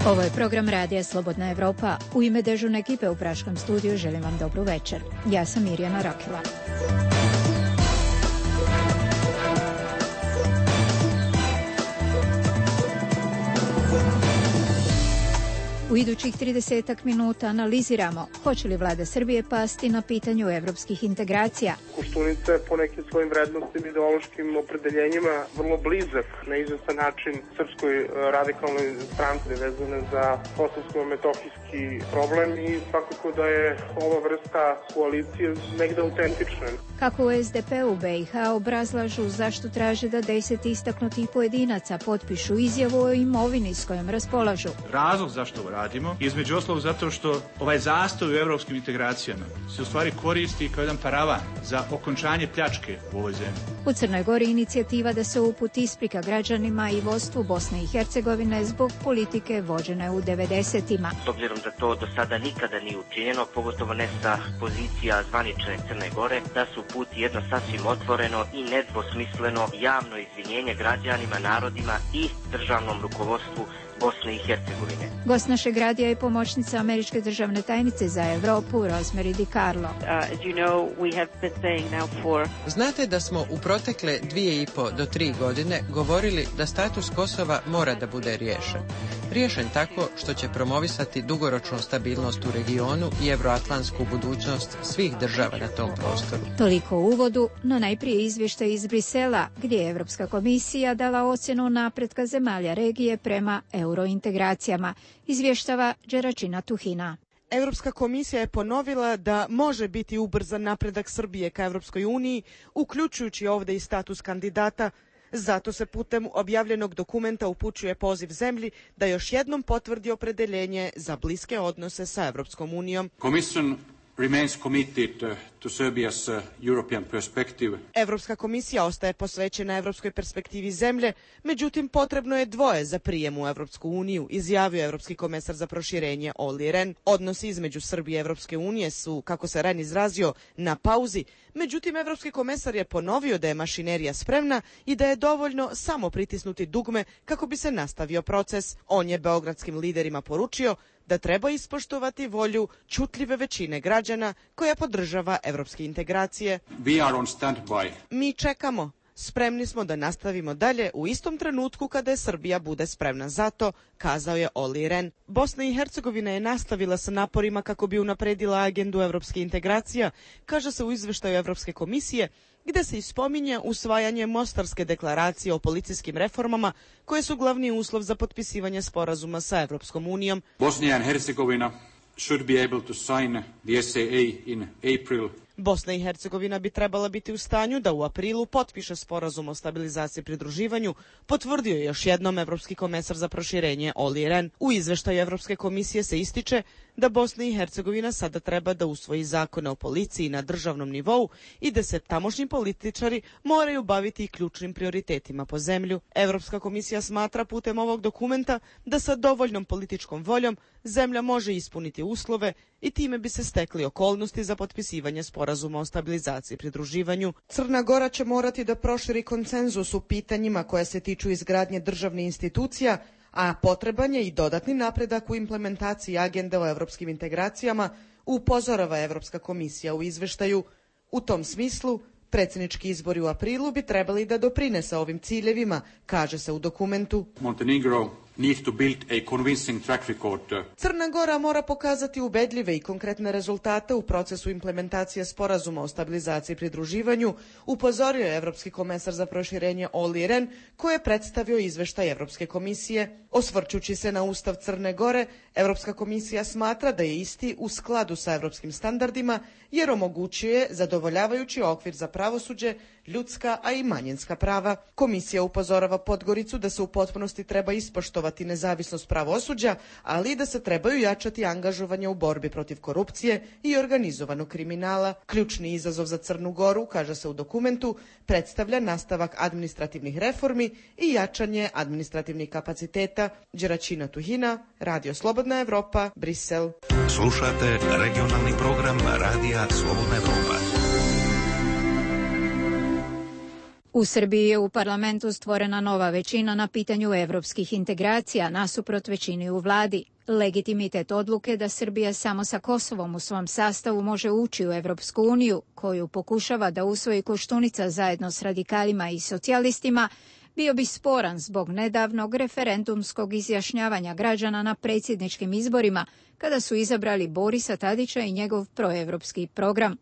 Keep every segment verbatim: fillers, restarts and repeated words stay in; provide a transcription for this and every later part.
Ovo je program Radija Slobodna Evropa. U ime dežurne ekipe u Praškom studiju želim vam dobru večer. Ja sam Mirjana Rakila. U idućih tridesetak minuta analiziramo hoće li vlada Srbije pasti na pitanju evropskih integracija. Koštunica je po nekim svojim vrednostima i ideološkim opredeljenjima vrlo blizak na izvestan način srpskoj radikalnoj stranci vezane za kosovsko-metohijski problem i svakako da je ova vrsta koalicije negde autentična. Kako u es de pe u be i ha obrazlažu zašto traže da deset istaknutih pojedinaca potpišu izjavu o imovini s kojom raspolažu. Razlog zašto ovo radimo, između ostalog zato što ovaj zastoj u evropskim integracijama se u stvari koristi kao jedan paravan za okončanje pljačke u ovoj zemlji. U Crnoj Gori inicijativa da se uputi isprika građanima i vodstvu Bosne i Hercegovine zbog politike vođene u devedesetima. S obzirom da to do sada nikada nije učinjeno, pogotovo ne sa pozicija zvanične Crne Gore, da se uputi jedno sasvim otvoreno i nedvosmisleno javno izvinjenje građanima, narodima i državnom rukovodstvu Bosne i Hercegovine. Gost našeg radija je pomoćnica američke državne tajnice za Evropu, Rosemary DiCarlo. Uh, you know, we have been saying now for... Znate da smo u protekle dvije i po do tri godine govorili da status Kosova mora da bude riješen. Riješen tako što će promovisati dugoročnu stabilnost u regionu i evroatlantsku budućnost svih država na tom prostoru. Toliko u uvodu, no najprije izvještaj iz Brisela, gdje je Evropska komisija dala ocjenu napretka zemalja regije prema eurointegracijama, izvještava Đeračina Tuhina. Evropska komisija je ponovila da može biti ubrzan napredak Srbije ka Evropskoj uniji, uključujući ovdje i status kandidata. Zato se putem objavljenog dokumenta upućuje poziv zemlji da još jednom potvrdi opredeljenje za bliske odnose sa Evropskom unijom. Commission remains committed to Serbia's European perspective. Evropska komisija ostaje posvećena evropskoj perspektivi zemlje, međutim potrebno je dvoje za prijem u Evropsku uniju, izjavio Evropski komesar za proširenje Olli Rehn. Odnosi između Srbije i Evropske unije su, kako se Rehn izrazio, na pauzi, međutim Evropski komesar je ponovio da je mašinerija spremna i da je dovoljno samo pritisnuti dugme kako bi se nastavio proces. On je beogradskim liderima poručio da treba ispoštovati volju čutljive većine građana koja podržava evropske integracije. We are on standby. Mi čekamo. Spremni smo da nastavimo dalje u istom trenutku kada je Srbija bude spremna za to, kazao je Olli Rehn. Bosna i Hercegovina je nastavila sa naporima kako bi unapredila agendu evropske integracija, kaže se u izveštaju Evropske komisije, gde se ispominje usvajanje Mostarske deklaracije o policijskim reformama, koje su glavni uslov za potpisivanje sporazuma sa Evropskom unijom. Bosnia and Herzegovina should be able to sign the S A A in April. Bosna i Hercegovina bi trebala biti u stanju da u aprilu potpiše sporazum o stabilizaciji i pridruživanju, potvrdio je još jednom Evropski komesar za proširenje Olli Rehn. U izveštaju Evropske komisije se ističe da Bosna i Hercegovina sada treba da usvoji zakone o policiji na državnom nivou i da se tamošnji političari moraju baviti i ključnim prioritetima po zemlju. Evropska komisija smatra putem ovog dokumenta da sa dovoljnom političkom voljom zemlja može ispuniti uslove i time bi se stekli okolnosti za potpisivanje sporazuma o stabilizaciji i pridruživanju. Crna Gora će morati da proširi konsenzus u pitanjima koja se tiču izgradnje državnih institucija, a potreban je i dodatni napredak u implementaciji agende o evropskim integracijama, upozorava Evropska komisija u izveštaju. U tom smislu, predsjednički izbori u aprilu bi trebali da doprinese ovim ciljevima, kaže se u dokumentu. Montenegro needs to build a convincing track record. Crna Gora mora pokazati ubedljive i konkretne rezultate u procesu implementacije sporazuma o stabilizaciji i pridruživanju, upozorio je Evropski komesar za proširenje Olli Rehn, koji je predstavio izveštaj Evropske komisije. Osvrćući se na Ustav Crne Gore, Evropska komisija smatra da je isti u skladu sa evropskim standardima, jer omogućuje zadovoljavajući okvir za pravosuđe, ljudska, a i manjinska prava. Komisija upozorava Podgoricu da se u potpunosti treba ispoštovati nezavisnost pravosuđa, ali i da se trebaju jačati angažovanje u borbi protiv korupcije i organizovanog kriminala. Ključni izazov za Crnu Goru, kaže se u dokumentu, predstavlja nastavak administrativnih reformi i jačanje administrativnih kapaciteta. Đeračina Tuhina, Radio Slobodna Evropa, Brisel. Slušate regionalni program Radija Slobodna Evropa. U Srbiji je u parlamentu stvorena nova većina na pitanju evropskih integracija nasuprot većini u vladi. Legitimitet odluke da Srbija samo sa Kosovom u svom sastavu može ući u Evropsku uniju, koju pokušava da usvoji Koštunica zajedno s radikalima i socijalistima, bio bi sporan zbog nedavnog referendumskog izjašnjavanja građana na predsjedničkim izborima, kada su izabrali Borisa Tadića i njegov proevropski program.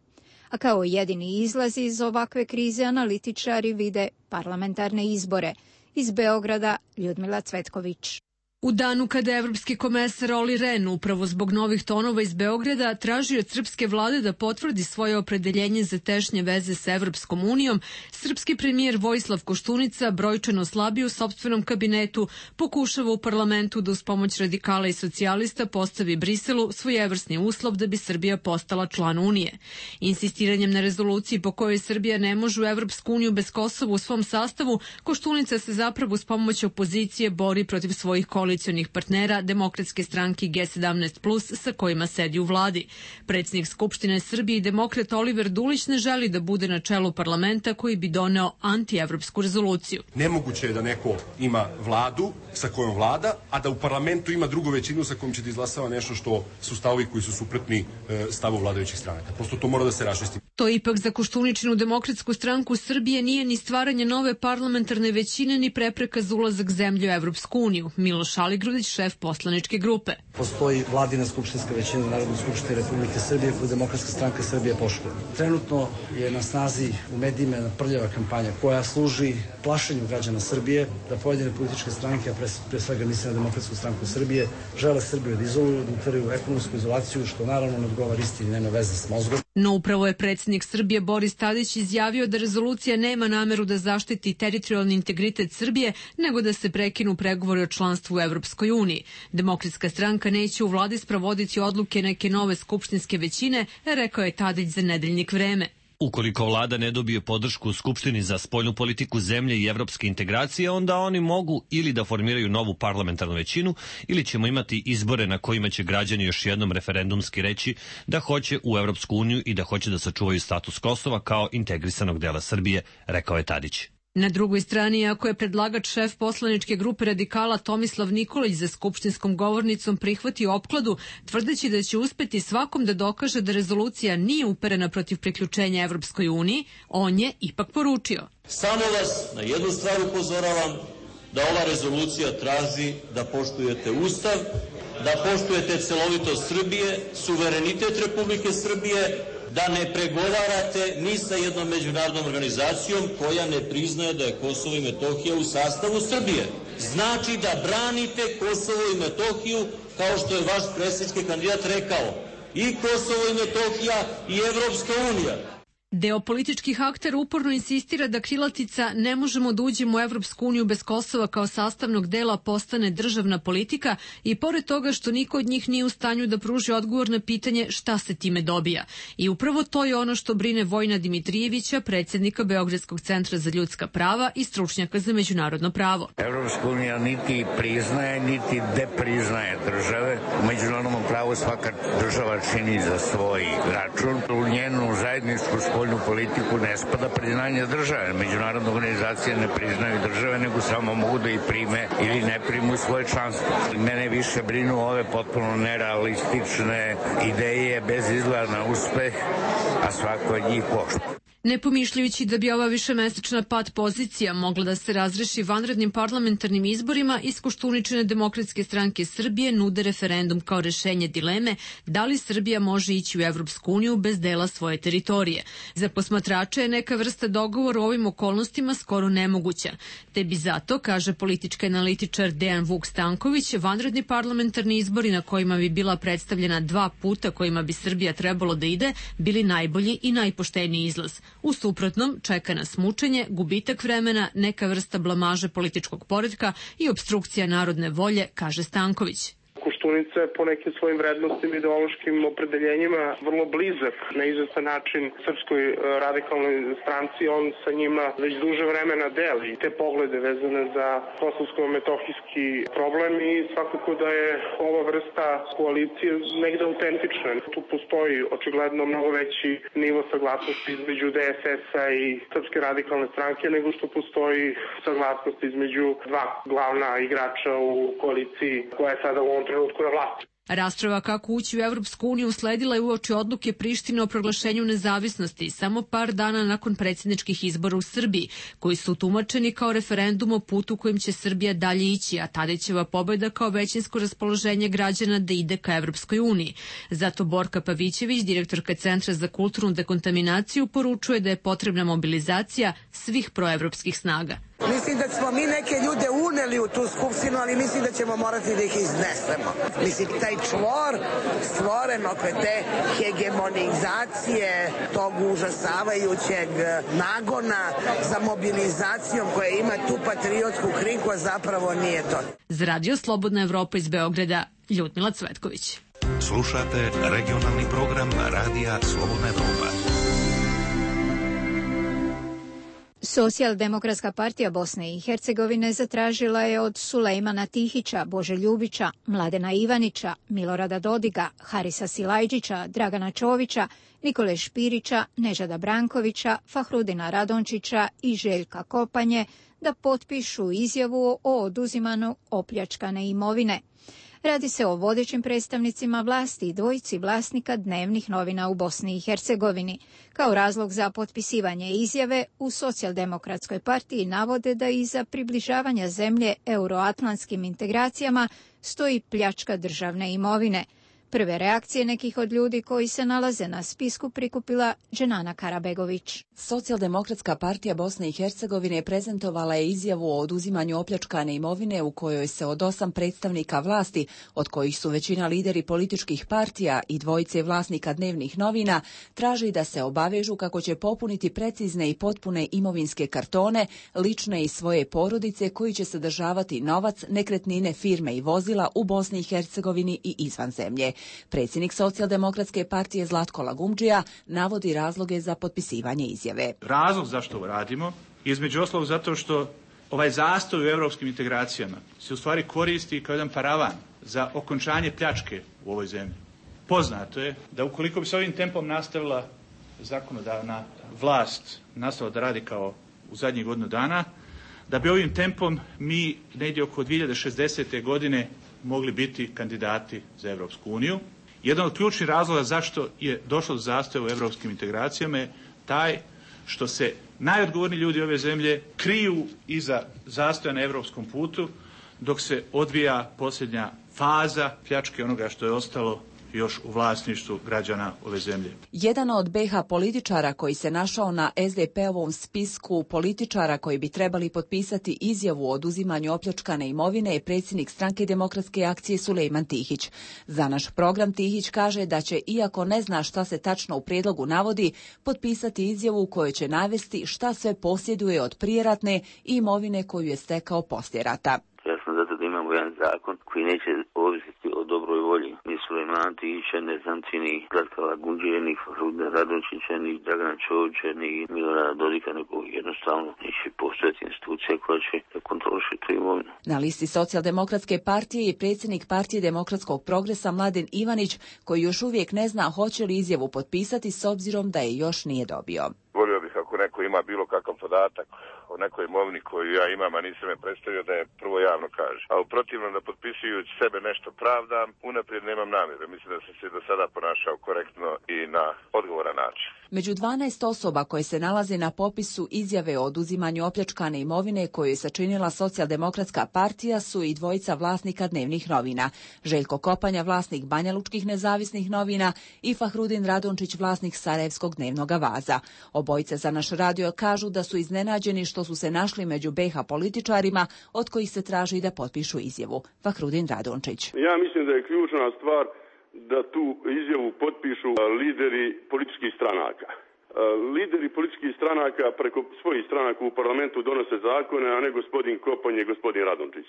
A kao jedini izlaz iz ovakve krize analitičari vide parlamentarne izbore. Iz Beograda Ljudmila Cvetković. U danu kada je evropski komesar Olli Rehn upravo zbog novih tonova iz Beograda tražio od srpske vlade da potvrdi svoje opredeljenje za tešnje veze sa Evropskom unijom, srpski premijer Vojislav Koštunica, brojčano slabiji u sopstvenom kabinetu, pokušava u parlamentu da uz pomoć radikala i socijalista postavi Briselu svojevrsni uslov da bi Srbija postala član Unije. Insistiranjem na rezoluciji po kojoj Srbija ne može u Evropsku uniju bez Kosova u svom sastavu, Koštunica se zapravo uz pomoć opozicije bori protiv svojih koalicija partnera Demokratske stranke G sedamnaest plus sa kojima sedi u vladi. Predsjednik Skupštine Srbije i demokrat Oliver Dulić ne želi da bude na čelu parlamenta koji bi doneo antievropsku rezoluciju. Nemoguće je da neko ima vladu sa kojom vlada, a da u parlamentu ima drugu većinu sa kojom će da izglasava nešto što su stavovi koji su suprotni stavu vladajućih stranaka. Prosto to mora da se raščisti. To ipak za Koštuničinu Demokratsku stranku Srbije nije ni stvaranje nove parlamentarne većine ni prepreka za ulazak zemlje u Evropsku uniju. Miloš Aligrudić, šef poslaničke grupe. Postoji vladina skupštinska većina Narodne skupštine Republike Srbije koju Demokratska stranka Srbije poštuje. Trenutno je na snazi u medijima jedna prljava kampanja koja služi plašenju građana Srbije da pojedine političke stranke, a pre, pre svega mislim na Demokratsku stranku Srbije, žele Srbiju da izoluju, da utvrju ekonomsku izolaciju, što naravno ne odgovara istini, nema veze s mozgom. No upravo je predsjednik Srbije Boris Tadić izjavio da rezolucija nema nameru da zaštiti teritorijalni integritet Srbije, nego da se prekinu pregovori o članstvu u Evropskoj uniji. Demokratska stranka neće u vladi sprovoditi odluke neke nove skupštinske većine, rekao je Tadić za Nedeljnik Vreme. Ukoliko vlada ne dobije podršku u Skupštini za spoljnu politiku zemlje i evropske integracije, onda oni mogu ili da formiraju novu parlamentarnu većinu ili ćemo imati izbore na kojima će građani još jednom referendumski reći da hoće u Evropsku uniju i da hoće da sačuvaju status Kosova kao integrisanog dela Srbije, rekao je Tadić. Na drugoj strani, ako je predlagač šef poslaničke grupe radikala Tomislav Nikolić za skupštinskom govornicom prihvatio opkladu, tvrdeći da će uspeti svakom da dokaže da rezolucija nije uperena protiv priključenja Evropskoj uniji, on je ipak poručio. Samo vas na jednu stvar upozoravam, da ova rezolucija traži da poštujete Ustav, da poštujete celovitost Srbije, suverenitet Republike Srbije, da ne pregovarate ni sa jednom međunarodnom organizacijom koja ne priznaje da je Kosovo i Metohija u sastavu Srbije. Znači da branite Kosovo i Metohiju, kao što je vaš predsjednički kandidat rekao, i Kosovo i Metohija i Evropska unija. Deo političkih aktera uporno insistira da krilatica "ne možemo da uđemo u Evropsku uniju bez Kosova" kao sastavnog dela postane državna politika i pored toga što niko od njih nije u stanju da pruži odgovor na pitanje šta se time dobija. I upravo to je ono što brine Vojina Dimitrijevića, predsjednika Beogradskog centra za ljudska prava i stručnjaka za međunarodno pravo. Evropska unija niti priznaje, niti depriznaje države. U međunarodnom pravu svaka država čini za svoj račun. U njenu zajedničku spoljnu politiku ne spada priznanje države. Međunarodne organizacije ne priznaju države, nego samo mogu da ih prime ili ne primu svoje članstvo. Mene više brinu ove potpuno nerealistične ideje bez izgleda na uspeh, a svako od njih poštuje. Ne pomišljajući da bi ova višemesečna pad pozicija mogla da se razreši vanrednim parlamentarnim izborima, iz Koštuničine Demokratske stranke Srbije nude referendum kao rešenje dileme da li Srbija može ići u Evropsku uniju bez dela svoje teritorije. Za posmatrače je neka vrsta dogovora u ovim okolnostima skoro nemoguća. Te bi zato, kaže politički analitičar Dejan Vuk Stanković, vanredni parlamentarni izbori na kojima bi bila predstavljena dva puta kojima bi Srbija trebalo da ide, bili najbolji i najpošteniji izlaz. U suprotnom, čeka nas mučenje, gubitak vremena, neka vrsta blamaže političkog poretka i opstrukcija narodne volje, kaže Stanković. Koštunica je po nekim svojim vrednostima i ideološkim opredeljenjima vrlo blizak na izvestan način Srpskoj radikalnoj stranci. On sa njima već duže vremena deli te poglede vezane za kosovsko-metohijski problem i svakako da je ova vrsta koalicije negde autentična. Tu postoji očigledno mnogo veći nivo saglasnosti između D S S-a i Srpske radikalne stranke nego što postoji saglasnost između dva glavna igrača u koaliciji koja je sada u ovom trenutku na vlasti. Rasprava kako ući u Evropsku uniju usledila je uoči odluke Prištine o proglašenju nezavisnosti samo par dana nakon predsjedničkih izbora u Srbiji, koji su tumačeni kao referendum o putu kojim će Srbija dalje ići, a Tadićeva pobjeda kao većinsko raspoloženje građana da ide ka Evropskoj uniji. Zato Borka Pavićević, direktorka Centra za kulturnu dekontaminaciju, poručuje da je potrebna mobilizacija svih proevropskih snaga. Mislim da smo mi neke ljude uneli u tu skupštinu, ali mislim da ćemo morati da ih iznesemo. Mislim, taj čvor stvoren oko te hegemonizacije, tog užasavajućeg nagona za mobilizacijom koja ima tu patriotsku krinku, a zapravo nije to. Za Radio Slobodna Evropa iz Beograda, Ljudmila Cvetković. Slušate regionalni program Radija Slobodna Evropa. Socijaldemokratska partija Bosne i Hercegovine zatražila je od Sulejmana Tihića, Bože Ljubića, Mladena Ivanića, Milorada Dodiga, Harisa Silajđića, Dragana Čovića, Nikole Špirića, Nežada Brankovića, Fahrudina Radončića i Željka Kopanje da potpišu izjavu o oduzimanju opljačkane imovine. Radi se o vodećim predstavnicima vlasti i dvojici vlasnika dnevnih novina u Bosni i Hercegovini. Kao razlog za potpisivanje izjave u Socijaldemokratskoj partiji navode da iza približavanja zemlje euroatlantskim integracijama stoji pljačka državne imovine. Prve reakcije nekih od ljudi koji se nalaze na spisku prikupila Dženana Karabegović. Socijaldemokratska partija Bosne i Hercegovine prezentovala je izjavu o oduzimanju opljačkane imovine u kojoj se od osam predstavnika vlasti, od kojih su većina lideri političkih partija i dvojice vlasnika dnevnih novina, traži da se obavežu kako će popuniti precizne i potpune imovinske kartone, lične i svoje porodice koji će sadržavati novac, nekretnine, firme i vozila u Bosni i Hercegovini i izvan zemlje. Predsjednik Socijaldemokratske partije Zlatko Lagumdžija navodi razloge za potpisivanje izjave. Razlog zašto ovo radimo, između ostalog zato što ovaj zastoj u evropskim integracijama se u stvari koristi kao jedan paravan za okončanje pljačke u ovoj zemlji. Poznato je da ukoliko bi se ovim tempom nastavila zakonodavna vlast, nastavila da radi kao u zadnjih godinu dana, da bi ovim tempom mi negdje oko dvije hiljade šezdesete. godine mogli biti kandidati za Evropsku uniju. Jedan od ključnih razloga zašto je došlo do zastoja u evropskim integracijama je taj što se najodgovorniji ljudi ove zemlje kriju iza zastoja na evropskom putu dok se odvija posljednja faza pljačke onoga što je ostalo još u vlasništvu građana ove zemlje. Jedan od B iH političara koji se našao na es de pe-ovom spisku političara koji bi trebali potpisati izjavu o oduzimanju opljačkane imovine je predsjednik Stranke demokratske akcije Sulejman Tihić. Za naš program Tihić kaže da će, iako ne zna šta se tačno u prijedlogu navodi, potpisati izjavu u kojoj će navesti šta sve posjeduje od prijeratne i imovine koju je stekao poslije rata. Ja sam zato da imamo jedan zakon koji neće ovisiti o dobroj volji ni Sulejmana Tihića, ne znam ti ni Zlatka Lagumdžije, ni Fahrudina Radončića, ni Dragana Čovića, ni Milorada Dodika, nego jednostavno neće postojati institucija koja će kontroliše tu imovinu. Na listi Socijaldemokratske partije je predsjednik partije Demokratskog progresa Mladen Ivanić, koji još uvijek ne zna hoće li izjavu potpisati s obzirom da je još nije dobio. Volio bih ako neko ima bilo kakav podatak o nekoj imovini koju ja imam, a nisam je predstavio, da je prvo javno kaže. A u protivnom da potpisujući sebe nešto pravdam, unaprijed nemam namjeru. Mislim da sam se do sada ponašao korektno i na odgovoran način. Među dvanaest osoba koje se nalaze na popisu izjave o oduzimanju opljačkane imovine koju je sačinila Socijaldemokratska partija su i dvojica vlasnika dnevnih novina. Željko Kopanja, vlasnik Banjalučkih nezavisnih novina i Fahrudin Radončić, vlasnik Sarajevskog dnevnog Vaza. Obojice za naš radio kažu da su iznenađeni što su se našli među B iH političarima od kojih se traži da potpišu izjavu. Fahrudin Radončić. Ja mislim da je ključna stvar da tu izjavu potpišu lideri političkih stranaka. lideri političkih stranaka preko svojih stranaka u parlamentu donose zakone, a ne gospodin Kopanj i gospodin Radončić.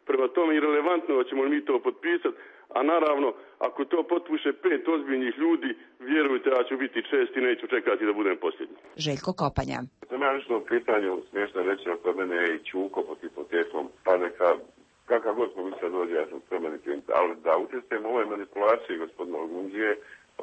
Prema tome je relevantno da ćemo mi to potpisati, a naravno ako to potpiše pet ozbiljnih ljudi, vjerujte ja ću biti čest i neću čekati da budem posljednji. Željko Kopanja. Sam ja nešto u pitanju smiješno reći, ako mene je i Čuko pod hipotekom, pa neka kakav god komisija dođe, ja sam spreman, ali da učestvujem u ovoj manipulaciji gospodina Lagundžije,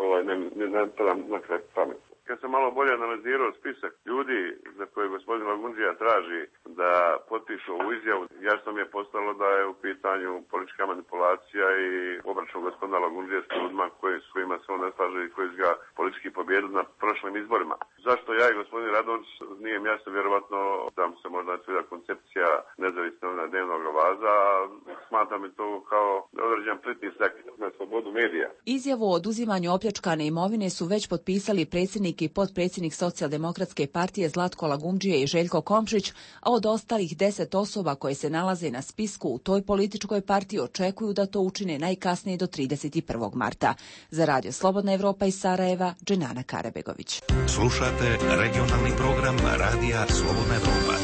ovaj, ne, ne, ne padam na kraj pamet. Kad sam malo bolje analizirao spisak ljudi za koje gospodin Lagundžija traži da potpišu ovu izjavu, jasno mi je postalo da je u pitanju politička manipulacija i obračun gospodina Lagundžije s ljudima koji, s kojima se on ne slaže i koji su ga politički pobijedili na prošlim izborima. Zašto ja i gospodin Radončić nije mi jasno, vjerovatno da mu se možda svida koncepcija nezavisnog dnevnog vaza, smatram i to kao određen pritisak na slobodu medija. Izjavu o oduzimanju opljačkane imovine su već potpisali predsjednik i potpredsjednik Socijaldemokratske partije Zlatko Lagundžije i Željko Komšić, a od ostalih deset osoba koje se nalaze na spisku u toj političkoj partiji očekuju da to učine najkasnije do trideset prvog marta. Za Radio Slobodna Evropa iz Sarajeva, Dženana Karabegović. Slušate regionalni program Radija Slobodna Evropa.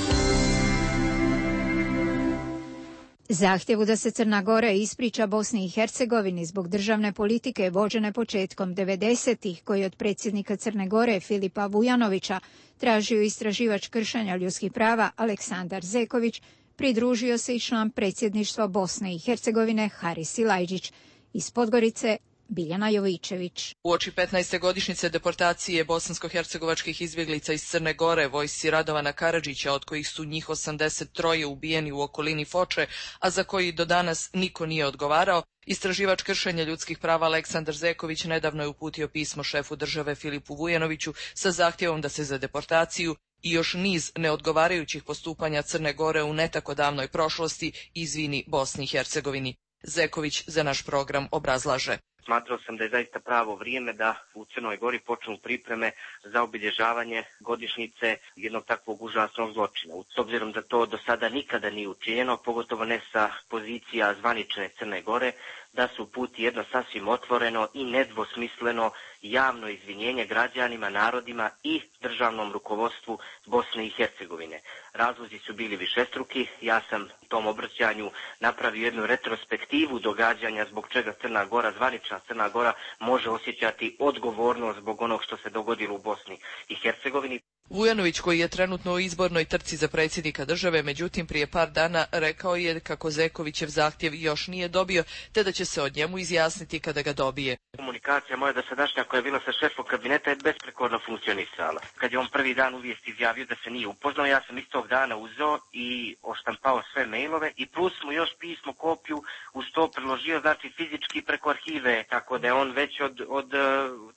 Zahtjevu da se Crna Gora ispriča Bosni i Hercegovini zbog državne politike vođene početkom devedesetih, koji od predsjednika Crne Gore Filipa Vujanovića tražio istraživač kršenja ljudskih prava Aleksandar Zeković, pridružio se i član predsjedništva Bosne i Hercegovine Haris Silajdžić. Iz Podgorice Biljana Jovičević. Uoči petnaeste godišnjice deportacije bosansko-hercegovačkih izbjeglica iz Crne Gore vojsci Radovana Karadžića, od kojih su njih osamdeset tri ubijeni u okolini Foče, a za koji do danas niko nije odgovarao, istraživač kršenja ljudskih prava Aleksandar Zeković nedavno je uputio pismo šefu države Filipu Vujanoviću sa zahtjevom da se za deportaciju i još niz neodgovarajućih postupanja Crne Gore u ne tako davnoj prošlosti izvini Bosni i Hercegovini. Zeković za naš program obrazlaže. Smatrao sam da je zaista pravo vrijeme da u Crnoj Gori počnu pripreme za obilježavanje godišnjice jednog takvog užasnog zločina. S obzirom da to do sada nikada nije učinjeno, pogotovo ne sa pozicija zvanične Crne Gore, da su puti jedno sasvim otvoreno i nedvosmisleno javno izvinjenje građanima, narodima i državnom rukovodstvu Bosne i Hercegovine. Razlozi su bili višestruki. Ja sam u tom obraćanju napravio jednu retrospektivu događanja zbog čega Crna Gora, zvanična Crna Gora, može osjećati odgovornost zbog onog što se dogodilo u Bosni i Hercegovini. Vujanović, koji je trenutno u izbornoj trci za predsjednika države, međutim prije par dana rekao je kako Zekovićev zahtjev još nije dobio, te da će se od njemu izjasniti kada ga dobije. Komunikacija moja dosadašnja koja je bila sa šefom kabineta je besprekorno funkcionisala. Kad je on prvi dan u vijesti izjavio da se nije upoznao, ja sam istog dana uzeo i oštampao sve mailove i plus mu još pismo, kopiju uz to priložio, znači fizički preko arhive, tako da je on već od, od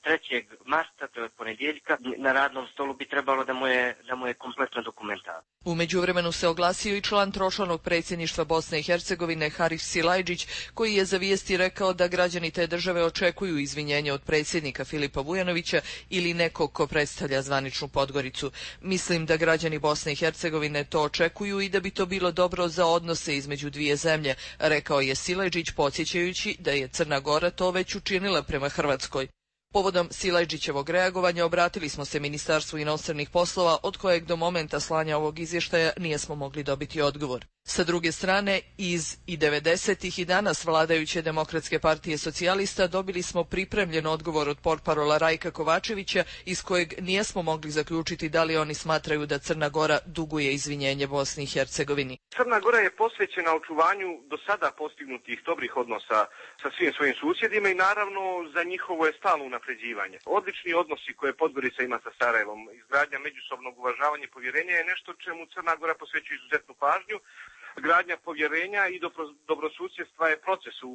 trećeg marta, to je od ponedjeljka, na radnom stolu bi trebalo da mu je, da mu je kompletno dokumentacija. U međuvremenu se oglasio i član tročlanog predsjedništva Bosne i Hercegovine Haris Silajdžić, koji je za vijesti rekao da građani te države očekuju izvinjenje od predsjednika Filipa Vujanovića ili nekog ko predstavlja zvaničnu Podgoricu. Mislim da građani Bosne i Hercegovine to očekuju i da bi to bilo dobro za odnose između dvije zemlje, rekao je Silajdžić, podsjećajući da je Crna Gora to već učinila prema Hrvatskoj. Povodom Silajdžićevog reagovanja obratili smo se Ministarstvu inostranih poslova, od kojeg do momenta slanja ovog izvještaja nijesmo mogli dobiti odgovor. Sa druge strane, iz i devedesetih i danas vladajuće Demokratske partije socijalista dobili smo pripremljen odgovor od portparola Rajka Kovačevića, iz kojeg nijesmo mogli zaključiti da li oni smatraju da Crna Gora duguje izvinjenje Bosni i Hercegovini. Crna Gora je posvećena očuvanju do sada postignutih dobrih odnosa sa svim svojim susjedima i naravno za njihovo je stalno unapređivanje. Odlični odnosi koje Podgorica ima sa Sarajevom, izgradnja međusobnog uvažavanja i povjerenja je nešto čemu Crna Gora posvećuje izuzetnu pažnju. Gradnja povjerenja i dobro, dobrosusjedstva je proces u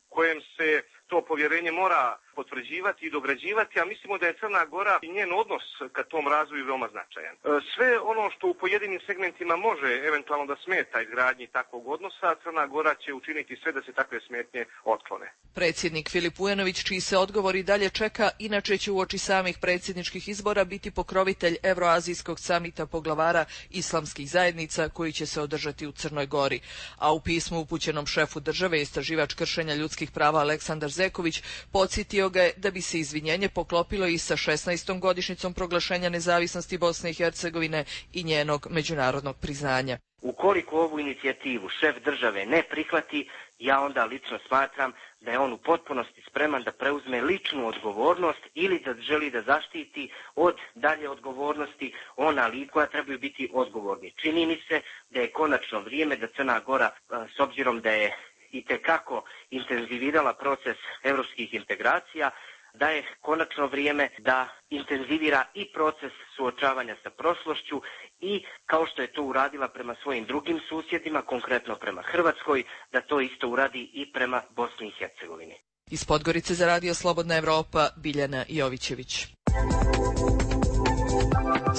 kojem se to povjerenje mora potvrđivati i dograđivati, a mislimo da je Crna Gora i njen odnos ka tom razvoju veoma značajan. Sve ono što u pojedinim segmentima može eventualno da smeta izgradnji takvog odnosa, Crna Gora će učiniti sve da se takve smetnje otklone. Predsjednik Filip Vujanović, čiji se odgovor i dalje čeka, inače će uoči samih predsjedničkih izbora biti pokrovitelj Evroazijskog samita poglavara islamskih zajednica koji će se održati u Crnoj Gori. A u pismu upućenom šefu države istraživač kršenja ljudskih prava Aleksandar Zeković, podsjetio ga je da bi se izvinjenje poklopilo i sa šesnaestom godišnjicom proglašenja nezavisnosti Bosne i Hercegovine i njenog međunarodnog priznanja. Ukoliko ovu inicijativu šef države ne prihvati, ja onda lično smatram da je on u potpunosti spreman da preuzme ličnu odgovornost ili da želi da zaštiti od dalje odgovornosti ona lica koja trebaju biti odgovorni. Čini mi se da je konačno vrijeme da Crna Gora, s obzirom da je itekako intenzivirala proces evropskih integracija, da je konačno vrijeme da intenzivira i proces suočavanja sa prošlošću i, kao što je to uradila prema svojim drugim susjedima, konkretno prema Hrvatskoj, da to isto uradi i prema Bosni i Hercegovini. Iz Podgorice za Radio Slobodna Evropa, Biljana Jovićević.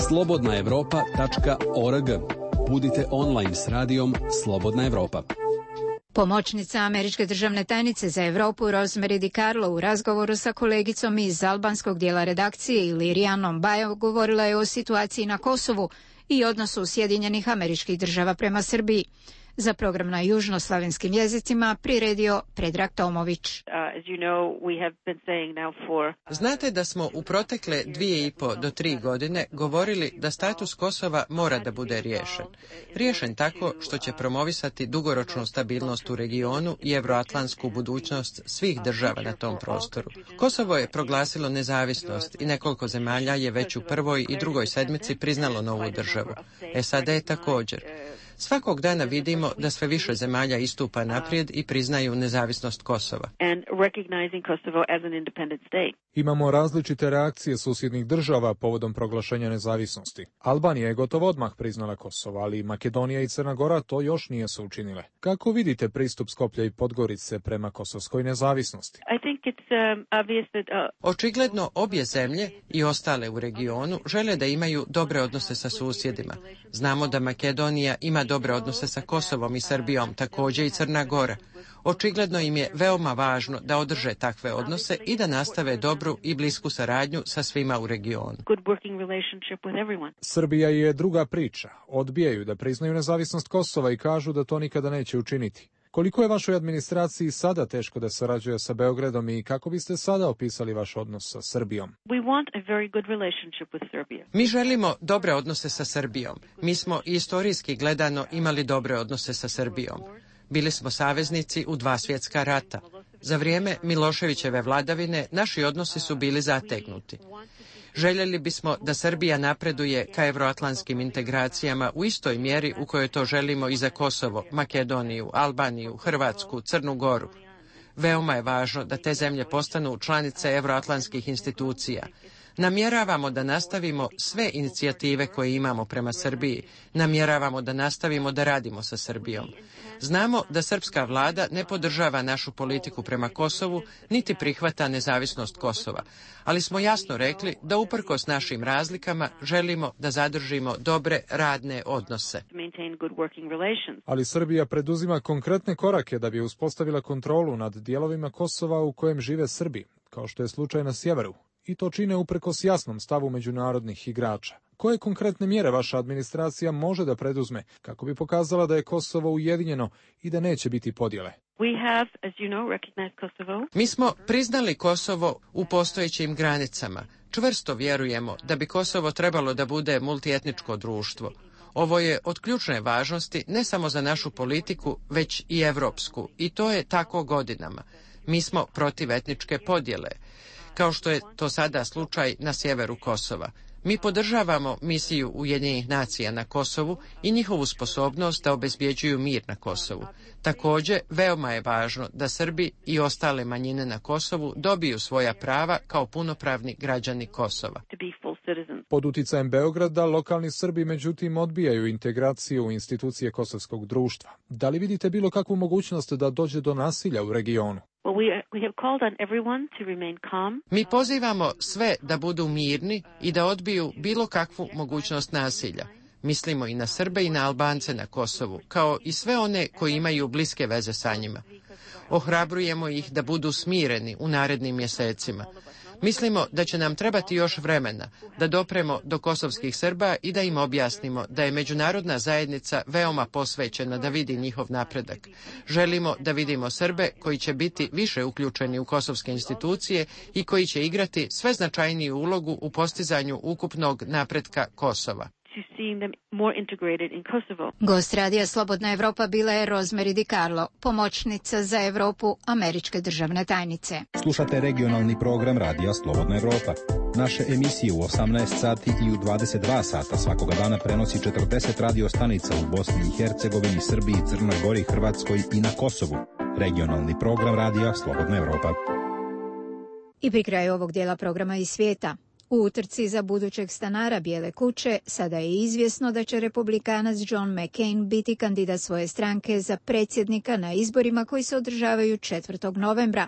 slobodna evropa tačka org. Budite online s radijom Slobodna Evropa. Pomoćnica američke državne tajnice za Evropu Rosemary DiCarlo u razgovoru sa kolegicom iz albanskog dijela redakcije Ilirijanom Bajo govorila je o situaciji na Kosovu i odnosu Sjedinjenih Američkih Država prema Srbiji. Za program na južnoslavenskim jezicima priredio Predrag Tomović. Znate da smo u protekle dvije i po do tri godine govorili da status Kosova mora da bude riješen. Riješen tako što će promovisati dugoročnu stabilnost u regionu i evroatlantsku budućnost svih država na tom prostoru. Kosovo je proglasilo nezavisnost i nekoliko zemalja je već u prvoj i drugoj sedmici priznalo novu državu. S A D je također. Svakog dana vidimo da sve više zemalja istupa naprijed i priznaju nezavisnost Kosova. Imamo različite reakcije susjednih država povodom proglašenja nezavisnosti. Albanija je gotovo odmah priznala Kosovo, ali Makedonija i Crna Gora to još nije su učinile. Kako vidite pristup Skoplja i Podgorice prema kosovskoj nezavisnosti? Očigledno obje zemlje i ostale u regionu žele da imaju dobre odnose sa susjedima. Znamo da Makedonija ima dobre odnose sa Kosovom i Srbijom, također i Crna Gora. Očigledno im je veoma važno da održe takve odnose i da nastave dobru i blisku saradnju sa svima u regionu. Srbija je druga priča. Odbijaju da priznaju nezavisnost Kosova i kažu da to nikada neće učiniti. Koliko je vašoj administraciji sada teško da sarađuje sa Beogradom i kako biste sada opisali vaš odnos sa Srbijom? Mi želimo dobre odnose sa Srbijom. Mi smo istorijski gledano imali dobre odnose sa Srbijom. Bili smo saveznici u dva svjetska rata. Za vrijeme Miloševićeve vladavine naši odnosi su bili zategnuti. Željeli bismo da Srbija napreduje ka evroatlantskim integracijama u istoj mjeri u kojoj to želimo i za Kosovo, Makedoniju, Albaniju, Hrvatsku, Crnu Goru. Veoma je važno da te zemlje postanu članice evroatlantskih institucija. Namjeravamo da nastavimo sve inicijative koje imamo prema Srbiji. Namjeravamo da nastavimo da radimo sa Srbijom. Znamo da srpska vlada ne podržava našu politiku prema Kosovu, niti prihvata nezavisnost Kosova. Ali smo jasno rekli da uprkos našim razlikama želimo da zadržimo dobre radne odnose. Ali Srbija preduzima konkretne korake da bi uspostavila kontrolu nad dijelovima Kosova u kojem žive Srbi, kao što je slučaj na sjeveru. I to čine uprkos jasnom stavu međunarodnih igrača. Koje konkretne mjere vaša administracija može da preduzme kako bi pokazala da je Kosovo ujedinjeno i da neće biti podjele? Mi smo priznali Kosovo u postojećim granicama. Čvrsto vjerujemo da bi Kosovo trebalo da bude multietničko društvo. Ovo je od ključne važnosti ne samo za našu politiku, već i evropsku. I to je tako godinama. Mi smo protiv etničke podjele, kao što je to sada slučaj na sjeveru Kosova. Mi podržavamo misiju Ujedinjenih nacija na Kosovu i njihovu sposobnost da obezbjeđuju mir na Kosovu. Također, veoma je važno da Srbi i ostale manjine na Kosovu dobiju svoja prava kao punopravni građani Kosova. Pod uticajem Beograda, lokalni Srbi međutim odbijaju integraciju u institucije kosovskog društva. Da li vidite bilo kakvu mogućnost da dođe do nasilja u regionu? Mi pozivamo sve da budu mirni i da odbiju bilo kakvu mogućnost nasilja. Mislimo i na Srbe i na Albance na Kosovu, kao i sve one koji imaju bliske veze sa njima. Ohrabrujemo ih da budu smireni u narednim mjesecima. Mislimo da će nam trebati još vremena da dopremo do kosovskih Srba i da im objasnimo da je međunarodna zajednica veoma posvećena da vidi njihov napredak. Želimo da vidimo Srbe koji će biti više uključeni u kosovske institucije i koji će igrati sve značajniju ulogu u postizanju ukupnog napretka Kosova. Gost radija Slobodna Evropa bila je Rosemary DiCarlo, pomoćnica za Evropu američke državne tajnice. Slušate regionalni program Radija Slobodna Evropa. Naše emisije u osamnaest sati i u dvadeset dva sata svakoga dana prenosi četrdeset radio stanica u Bosni i Hercegovini, Srbiji, Crnoj Gori, Hrvatskoj i na Kosovu. Regionalni program Radija Slobodna Evropa. I pri kraju ovog dijela programa iz svijeta. U utrci za budućeg stanara Bijele kuće sada je izvjesno da će republikanac John McCain biti kandidat svoje stranke za predsjednika na izborima koji se održavaju četvrtog novembra.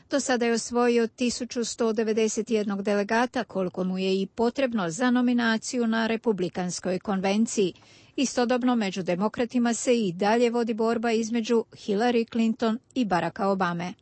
Do sada je osvojio tisuću sto devedeset jedan delegata, koliko mu je i potrebno za nominaciju na republikanskoj konvenciji. Istodobno među demokratima se i dalje vodi borba između Hillary Clinton i Baracka Obame.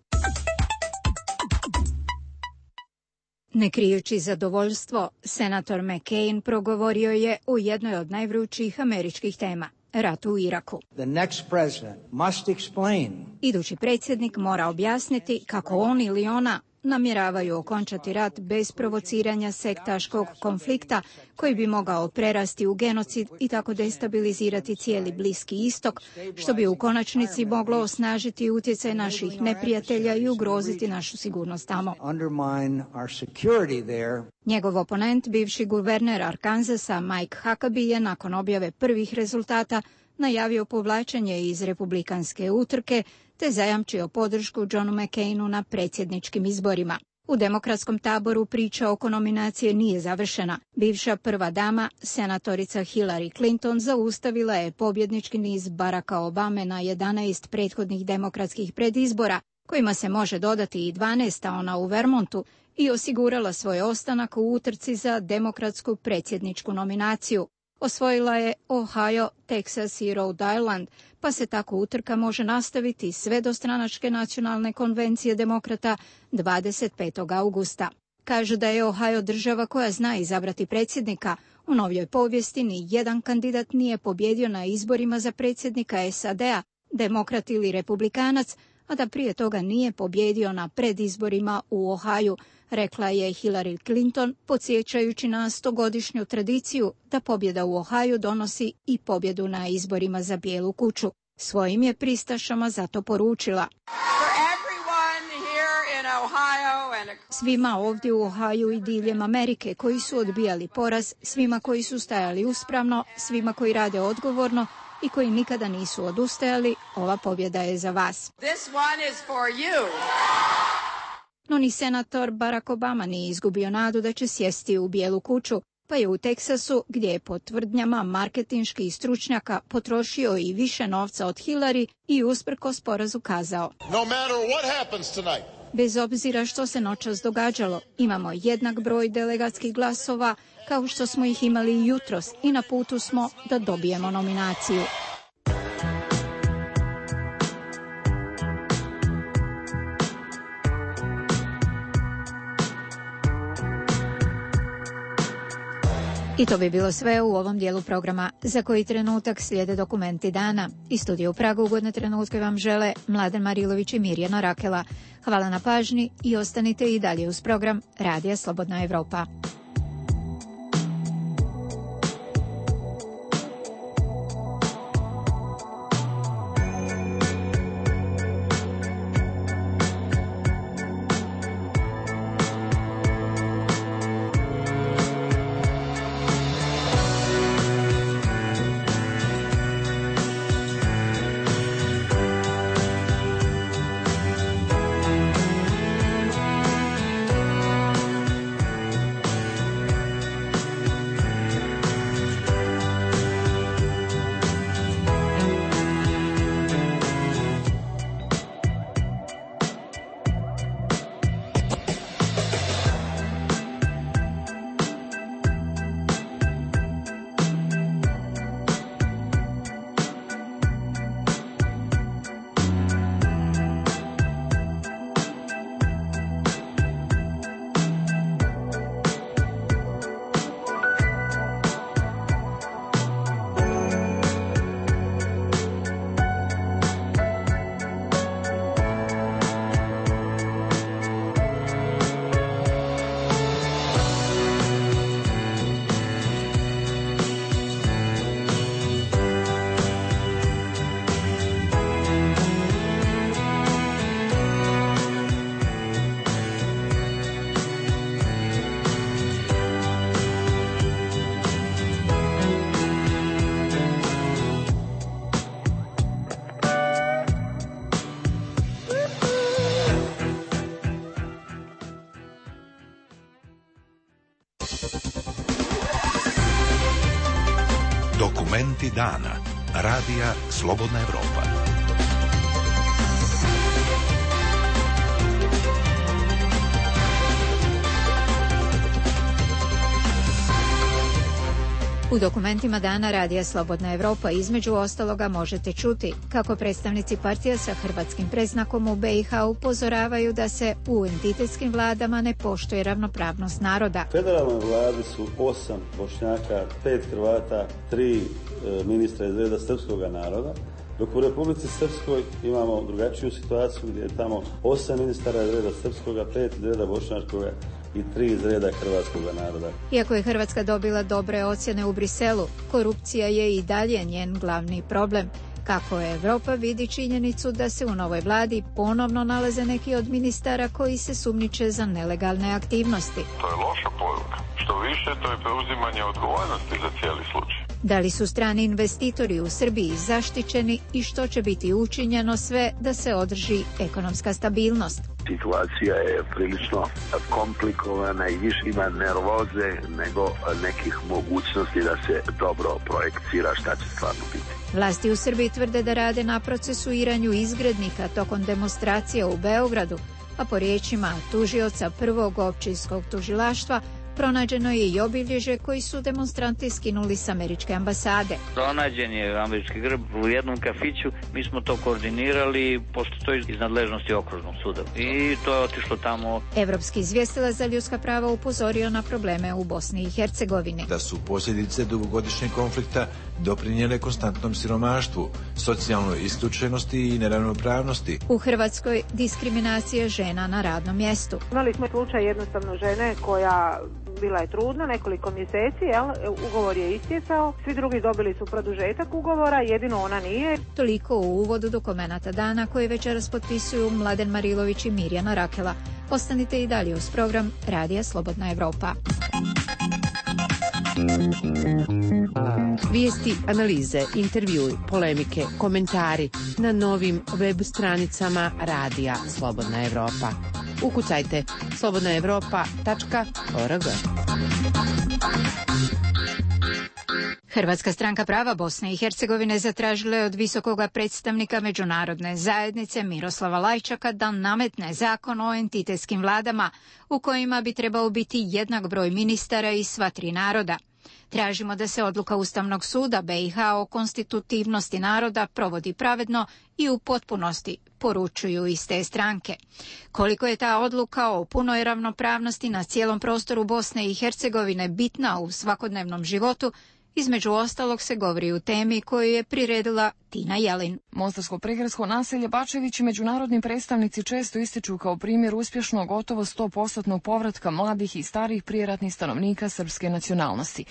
Ne krijući zadovoljstvo, senator McCain progovorio je o jednoj od najvrućih američkih tema, ratu u Iraku. The next president must explain. Idući predsjednik mora objasniti kako on ili ona namjeravaju okončati rat bez provociranja sektaškog konflikta koji bi mogao prerasti u genocid i tako destabilizirati cijeli Bliski istok, što bi u konačnici moglo osnažiti utjecaj naših neprijatelja i ugroziti našu sigurnost tamo. Njegov oponent, bivši guverner Arkansasa Mike Huckabee, je nakon objave prvih rezultata najavio povlačenje iz republikanske utrke te zajamčio podršku Johnu McCainu na predsjedničkim izborima. U demokratskom taboru priča oko nominacije nije završena. Bivša prva dama, senatorica Hillary Clinton, zaustavila je pobjednički niz Baracka Obame na jedanaest prethodnih demokratskih predizbora, kojima se može dodati i dvanaesta ona u Vermontu, i osigurala svoj ostanak u utrci za demokratsku predsjedničku nominaciju. Osvojila je Ohio, Texas i Rhode Island, pa se tako utrka može nastaviti sve do stranačke nacionalne konvencije demokrata dvadeset petog augusta. Kažu da je Ohio država koja zna izabrati predsjednika. U novijoj povijesti ni jedan kandidat nije pobjedio na izborima za predsjednika S A D-a, demokrat ili republikanac, a da prije toga nije pobjedio na predizborima u Ohaju, rekla je Hillary Clinton, podsjećajući na stogodišnju tradiciju da pobjeda u Ohaju donosi i pobjedu na izborima za Bijelu kuću. Svojim je pristašama zato poručila: svima ovdje u Ohaju i diljem Amerike koji su odbijali poraz, svima koji su stajali uspravno, svima koji rade odgovorno i koji nikada nisu odustajali, ova pobjeda je za vas. This one is for you. No ni senator Barack Obama nije izgubio nadu da će sjesti u Bijelu kuću, pa je u Teksasu, gdje je po tvrdnjama marketinških stručnjaka potrošio i više novca od Hillary, i usprkos porazu kazao: No matter what happens tonight. Bez obzira što se noćas događalo, imamo jednak broj delegatskih glasova kao što smo ih imali jutros i na putu smo da dobijemo nominaciju. I to bi bilo sve u ovom dijelu programa, za koji trenutak slijede dokumenti dana. Iz studija u Pragu ugodne trenutke vam žele Mladen Marilović i Mirjana Rakela. Hvala na pažnji i ostanite i dalje uz program Radija Slobodna Evropa. Dokumenti dana. Radija Slobodna Evropa. U dokumentima dana Radija Slobodna Evropa između ostaloga možete čuti kako predstavnici partija sa hrvatskim predznakom u be i ha upozoravaju da se u entitetskim vladama ne poštuje ravnopravnost naroda. Federalnoj vladi su osam Bošnjaka, pet Hrvata, tri e, ministra iz reda srpskog naroda, dok u Republici Srpskoj imamo drugačiju situaciju gdje je tamo osam ministara iz reda srpskoga, pet iz reda bošnjačkoga i tri iz reda hrvatskog naroda. Iako je Hrvatska dobila dobre ocjene u Briselu, korupcija je i dalje njen glavni problem. Kako je Evropa vidi činjenicu da se u novoj vladi ponovno nalaze neki od ministara koji se sumnjiče za nelegalne aktivnosti. To je loša poruka. Što više, to je preuzimanje odgovornosti za cijeli slučaj. Da li su strani investitori u Srbiji zaštićeni i što će biti učinjeno sve da se održi ekonomska stabilnost? Situacija je prilično komplikovana i više ima nervoze nego nekih mogućnosti da se dobro projekcira šta će stvarno biti. Vlasti u Srbiji tvrde da rade na procesuiranju izgrednika tokom demonstracija u Beogradu, a po riječima tužioca prvog općinskog tužilaštva pronađeno je i obilježje koji su demonstranti skinuli s američke ambasade. Pronađen je američki grb u jednom kafiću, mi smo to koordinirali, pošto to je iz nadležnosti okružnog suda i to je otišlo tamo. Evropski izvjestilac za ljudska prava upozorio na probleme u Bosni i Hercegovini. Da su posljedice dugogodišnjeg konflikta doprinijele konstantnom siromaštvu, socijalnoj isključenosti i neravnopravnosti. U Hrvatskoj diskriminacija žena na radnom mjestu. Imali smo slučaj jednostavno žene koja bila je trudna nekoliko mjeseci, jel? Ugovor je istjecao, svi drugi dobili su produžetak ugovora, jedino ona nije. Toliko u uvodu dokumenata dana koje večeras potpisuju Mladen Marilović i Mirjana Rakela. Ostanite i dalje uz program Radija Slobodna Evropa. Vijesti, analize, intervjui, polemike, komentari na novim web stranicama Radija Slobodna Evropa. Ukucajte slobodna evropa tačka org. Hrvatska stranka prava Bosne i Hercegovine zatražila je od visokoga predstavnika međunarodne zajednice Miroslava Lajčaka da nametne zakon o entitetskim vladama u kojima bi trebao biti jednak broj ministara iz sva tri naroda. Tražimo da se odluka Ustavnog suda be i ha o konstitutivnosti naroda provodi pravedno i u potpunosti, poručuju iz te stranke. Koliko je ta odluka o punoj ravnopravnosti na cijelom prostoru Bosne i Hercegovine bitna u svakodnevnom životu, između ostalog se govori u temi koju je priredila Tina Jelin. Mostarsko prigradsko naselje Bačević i međunarodni predstavnici često ističu kao primjer uspješnog gotovo sto posto povratka mladih i starih prijeratnih stanovnika srpske nacionalnosti.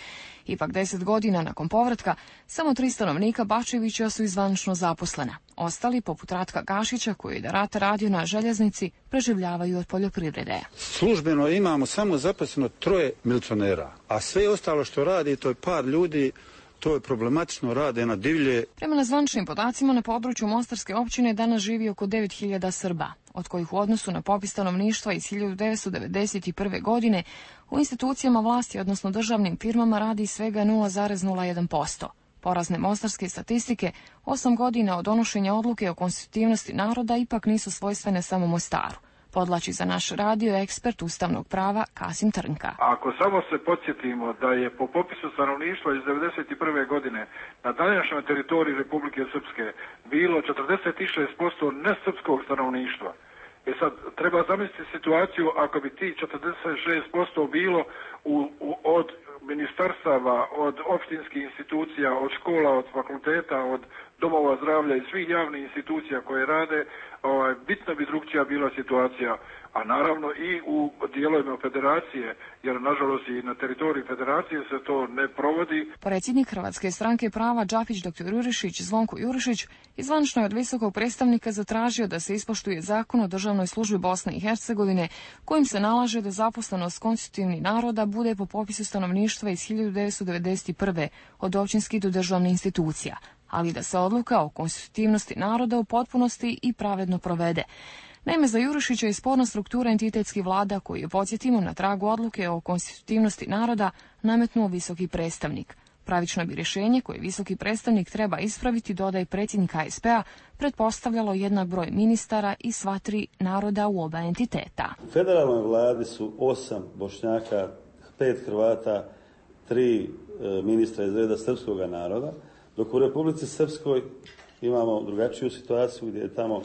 Ipak deset godina nakon povratka, samo tri stanovnika Bačevića su izvanično zaposlena. Ostali, poput Ratka Gašića, koji je da rata radio na željeznici, preživljavaju od poljoprivrede. Službeno imamo samo zaposleno troje milicionera, a sve ostalo što radi, to je par ljudi, to je problematično, rade na divlje. Prema nezvaničnim podacima, na području Mostarske općine danas živi oko devet hiljada Srba, od kojih u odnosu na popis stanovništva iz hiljadu devetsto devedeset prve. godine u institucijama vlasti, odnosno državnim firmama, radi svega nula zarez nula jedan posto. Porazne mostarske statistike, osam godina od donošenja odluke o konstitutivnosti naroda ipak nisu svojstvene samo Mostaru. Podlači za naš radio ekspert ustavnog prava Kasim Trnka. Ako samo se podsjetimo da je po popisu stanovništva iz devedeset prve. godine na današnjoj teritoriji Republike Srpske bilo četrdeset šest posto nesrpskog stanovništva. E sad, treba zamisliti situaciju ako bi ti četrdeset šest posto bilo u, u, od ministarstava, od opštinskih institucija, od škola, od fakulteta, od domova zdravlja i svih javnih institucija koje rade, ovaj, bitno bi drugčija bila situacija, a naravno i u dijelovima federacije, jer nažalost i na teritoriji federacije se to ne provodi. Predsjednik Hrvatske stranke prava Džapić dr. Jurišić, Zvonko Jurišić, izvanično je od visokog predstavnika zatražio da se ispoštuje zakon o državnoj službi Bosne i Hercegovine, kojim se nalaže da zaposlenost konstitutivnih naroda bude po popisu stanovništva iz hiljadu devetsto devedeset prve. od općinskih do državnih institucija, ali da se odluka o konstitutivnosti naroda u potpunosti i pravedno provede. Naime, za Jurišića je sporna struktura entitetskih vlada koju je, podsjetimo, na tragu odluke o konstitutivnosti naroda nametnuo visoki predstavnik. Pravično bi rješenje koje visoki predstavnik treba ispraviti, dodaje predsjednik H S P-a, pretpostavljalo jednak broj ministara i sva tri naroda u oba entiteta. U federalnoj vladi su osam Bošnjaka, pet Hrvata, tri e, ministra iz reda srpskog naroda, dok u Republici Srpskoj imamo drugačiju situaciju gdje je tamo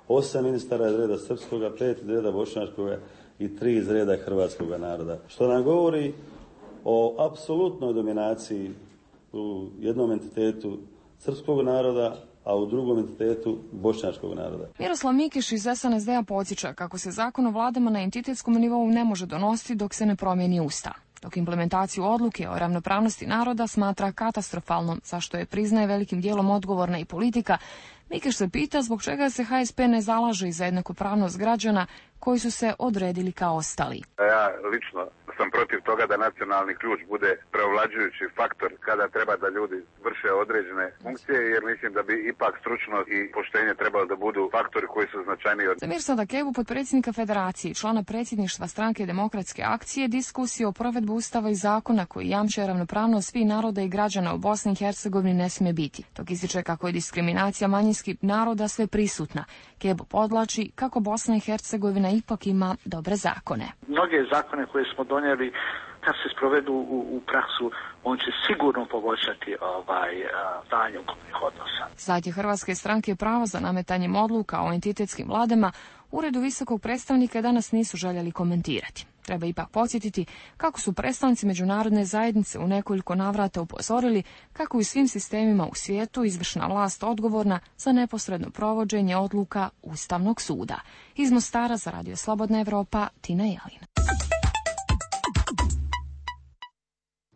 osam ministara iz reda srpskoga, pet iz reda bošnjačkoga i tri iz reda hrvatskog naroda. Što nam govori o apsolutnoj dominaciji u jednom entitetu srpskog naroda, a u drugom entitetu bošnjačkog naroda. Miroslav Mikiš iz S N S D-a podsjeća kako se zakon o vladama na entitetskom nivou ne može donositi dok se ne promijeni Ustav. Dok implementaciju odluke o ravnopravnosti naroda smatra katastrofalnom, zašto je priznaje velikim dijelom odgovorna i politika, Mikiš se pita zbog čega se H S P ne zalaže i za jednakopravnost građana koji su se odredili kao ostali. Ja lično sam protiv toga da nacionalni ključ bude preovlađujući faktor kada treba da ljudi vrše određene funkcije, jer mislim da bi ipak stručnost i poštenje trebalo da budu faktori koji su značajniji od... Za Mirsada Kevu, potpredsjednika Federacije i člana predsjedništva Stranke demokratske akcije, diskusije o provedbu Ustava i zakona koji jamče ravnopravnost svih naroda i građana u Bosni i Hercegovini ne smije biti. Dok ističe kako je diskriminacija manjinskih naroda sve prisutna. Kebo podlači kako Bosna i Hercegovina ipak ima dobre zakone. Mnoge zakone koje smo donijeli, kad se sprovedu u, u praksu, on će sigurno poboljšati ovaj stanje ukupnih odnosa. Zatim Hrvatske stranke pravo za nametanjem odluka o entitetskim vladama Uredu visokog predstavnika danas nisu željeli komentirati. Treba ipak podsjetiti kako su predstavnici međunarodne zajednice u nekoliko navrata upozorili kako u svim sistemima u svijetu izvršna vlast odgovorna za neposredno provođenje odluka Ustavnog suda. Iz Mostara za Radio Slobodna Evropa, Tina Jelin.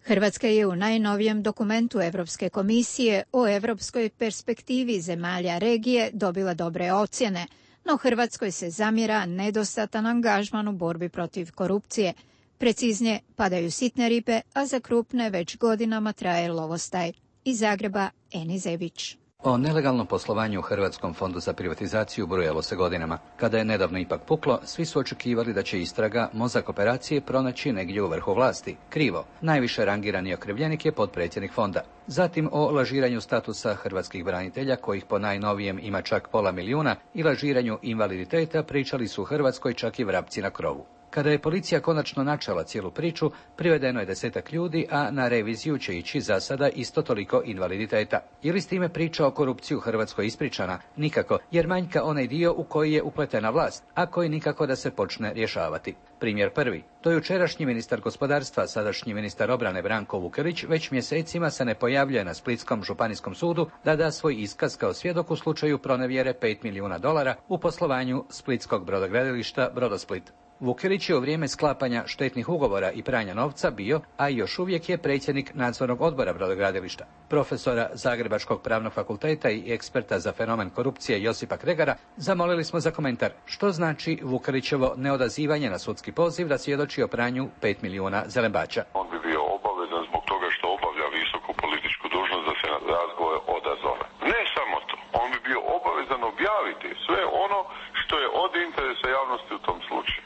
Hrvatska je u najnovijem dokumentu Europske komisije o europskoj perspektivi zemalja regije dobila dobre ocjene, no Hrvatskoj se zamjera nedostatan angažman u borbi protiv korupcije. Preciznije, padaju sitne ribe, a za krupne već godinama traje lovostaj. Iz Zagreba, Eni Zebić. O nelegalnom poslovanju u Hrvatskom fondu za privatizaciju brujalo se godinama. Kada je nedavno ipak puklo, svi su očekivali da će istraga, mozak operacije, pronaći negdje u vrhu vlasti. Krivo. Najviše rangirani okrivljenik je potpredsjednik fonda. Zatim o lažiranju statusa hrvatskih branitelja, kojih po najnovijem ima čak pola milijuna, i lažiranju invaliditeta pričali su u Hrvatskoj čak i vrapci na krovu. Kada je policija konačno načela cijelu priču, privedeno je desetak ljudi, a na reviziju će ići za sada isto toliko invaliditeta. Je li s time priča o korupciji u Hrvatskoj ispričana? Nikako, jer manjka onaj dio u koji je upletena vlast, a koji nikako da se počne rješavati. Primjer prvi. To je jučerašnji ministar gospodarstva, sadašnji ministar obrane Branko Vukelić, već mjesecima se ne pojavljuje na Splitskom županijskom sudu da da svoj iskaz kao svjedok u slučaju pronevjere pet milijuna dolara u poslovanju splitskog brodogradilišta Brodosplit. Vukelić je u vrijeme sklapanja štetnih ugovora i pranja novca bio, a još uvijek je predsjednik nadzornog odbora brodogradilišta. Profesora Zagrebačkog pravnog fakulteta i eksperta za fenomen korupcije Josipa Kregara zamolili smo za komentar što znači Vukelićevo neodazivanje na sudski poziv da svjedoči o pranju pet milijuna zelembača. On bi bio obavezan zbog toga što obavlja visoku političku dužnost da se na razgovor odazove. Ne samo to, on bi bio obavezan objaviti sve ono što je od interesa javnosti u tom slučaju.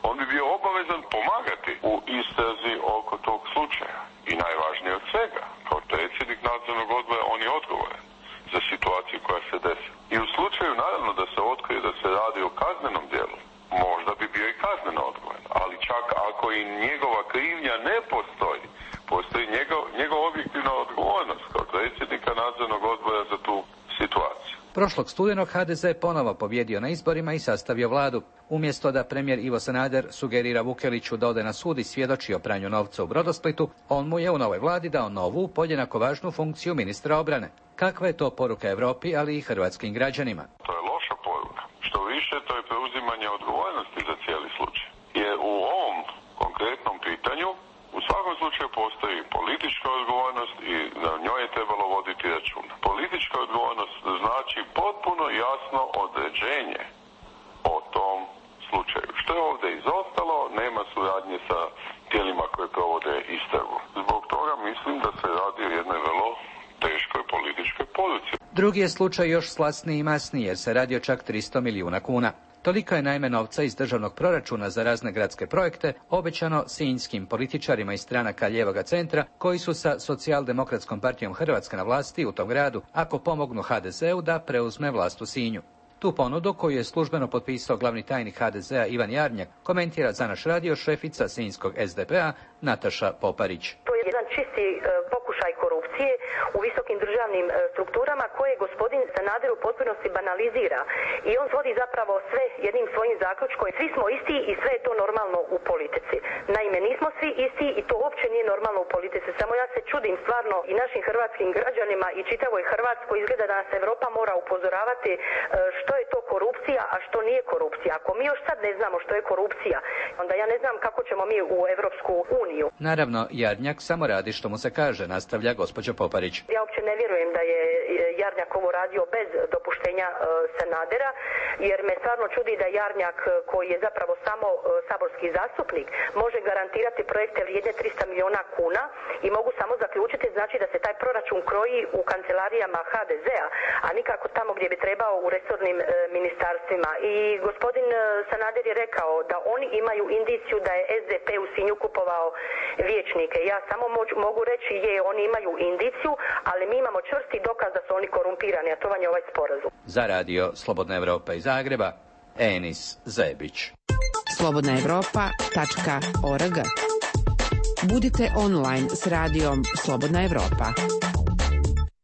On bi bio obavezan pomagati u istrazi oko tog slučaja. I najvažnije od svega, kao predsjednik nadzornog odbora, on je odgovoran za situaciju koja se desi. I u slučaju, naravno, da se otkrije da se radi o kaznenom djelu, možda bi bio i kazneno odgovoran. Ali čak ako i njegova krivnja ne postoji, postoji njegov, njegov objektivna odgovornost kao predsjednika nadzornog odbora za tu situaciju. Prošlog studenog H D Z ponovo pobjedio na izborima i sastavio vladu. Umjesto da premijer Ivo Sanader sugerira Vukeliću da ode na sud i svjedoči o pranju novca u Brodosplitu, on mu je u novoj vladi dao novu, podjednako važnu funkciju ministra obrane. Kakva je to poruka Europi, ali i hrvatskim građanima? To je loša poruka. Što više, to je preuzimanje odgovornosti za cijeli slučaj. Jer u ovom konkretnom pitanju u svakom slučaju postoji politička odgovornost i na njoj je trebalo voditi računa. Politička odgovornost znači potpuno jasno određenje o tom slučaju. Što je ovdje izostalo, nema suradnje sa tijelima koje provode istragu. Zbog toga mislim da se radi o jednoj vrlo teškoj političkoj poruci. Drugi je slučaj još slasniji i masniji jer se radi o čak tristo milijuna kuna. Toliko je naime novca iz državnog proračuna za razne gradske projekte obećano sinjskim političarima iz stranaka lijevoga centra koji su sa Socijaldemokratskom partijom Hrvatske na vlasti u tom gradu ako pomognu ha de zeu da preuzme vlast u Sinju. Tu ponudu, koju je službeno potpisao glavni tajnik ha de zea Ivan Jarnjak, komentira za naš radio šefica sinjskog es de pe a Nataša Poparić. To je jedan čisti e, pokušaj korupcije u visokim državnim e, strukturama koje gospodin Sanader u potpunosti banalizira i on svodi zapravo sve jednim svojim zaključkom. Svi smo isti i sve je to normalno u politici. Naime, nismo svi isti i to uopće nije normalno u politici. Samo ja se čudim stvarno i našim hrvatskim građanima i čitavoj Hrvatskoj. Izgleda da nas Evropa mora upozoravati e, što je to korupcija, a što nije korupcija. Ako mi još sad ne znamo što je korupcija, onda ja ne znam kako ćemo mi u Evropsku uniju. Naravno, Jarnjak samo radi što mu se kaže, nastavlja gospođa Poparić. Ja uopće ne vjerujem da je Jarnjak ovo radio bez dopuštenja e, Sanadera, jer me stvarno čudi da Jarnjak, koji je zapravo samo e, saborski zastupnik, može garantirati projekte vrijedne tristo milijuna kuna i mogu samo zaključiti znači da se taj proračun kroji u kancelarijama ha de zea, a nikako tamo gdje bi trebao u resornim e, ministarstvima. I gospodin e, Sanader je rekao da oni imaju indiciju da je es de pe u Sinju kupovao vijećnike. Ja samo moć, mogu reći je, oni imaju indiciju, ali mi imamo čvrsti dokaz da su oni korumpirani, a to vam je ovaj sporazum. Za radio Slobodna Evropa iz Zagreba, Enis Zebić. slobodna evropa tačka org. Budite online s radijom Slobodna Evropa.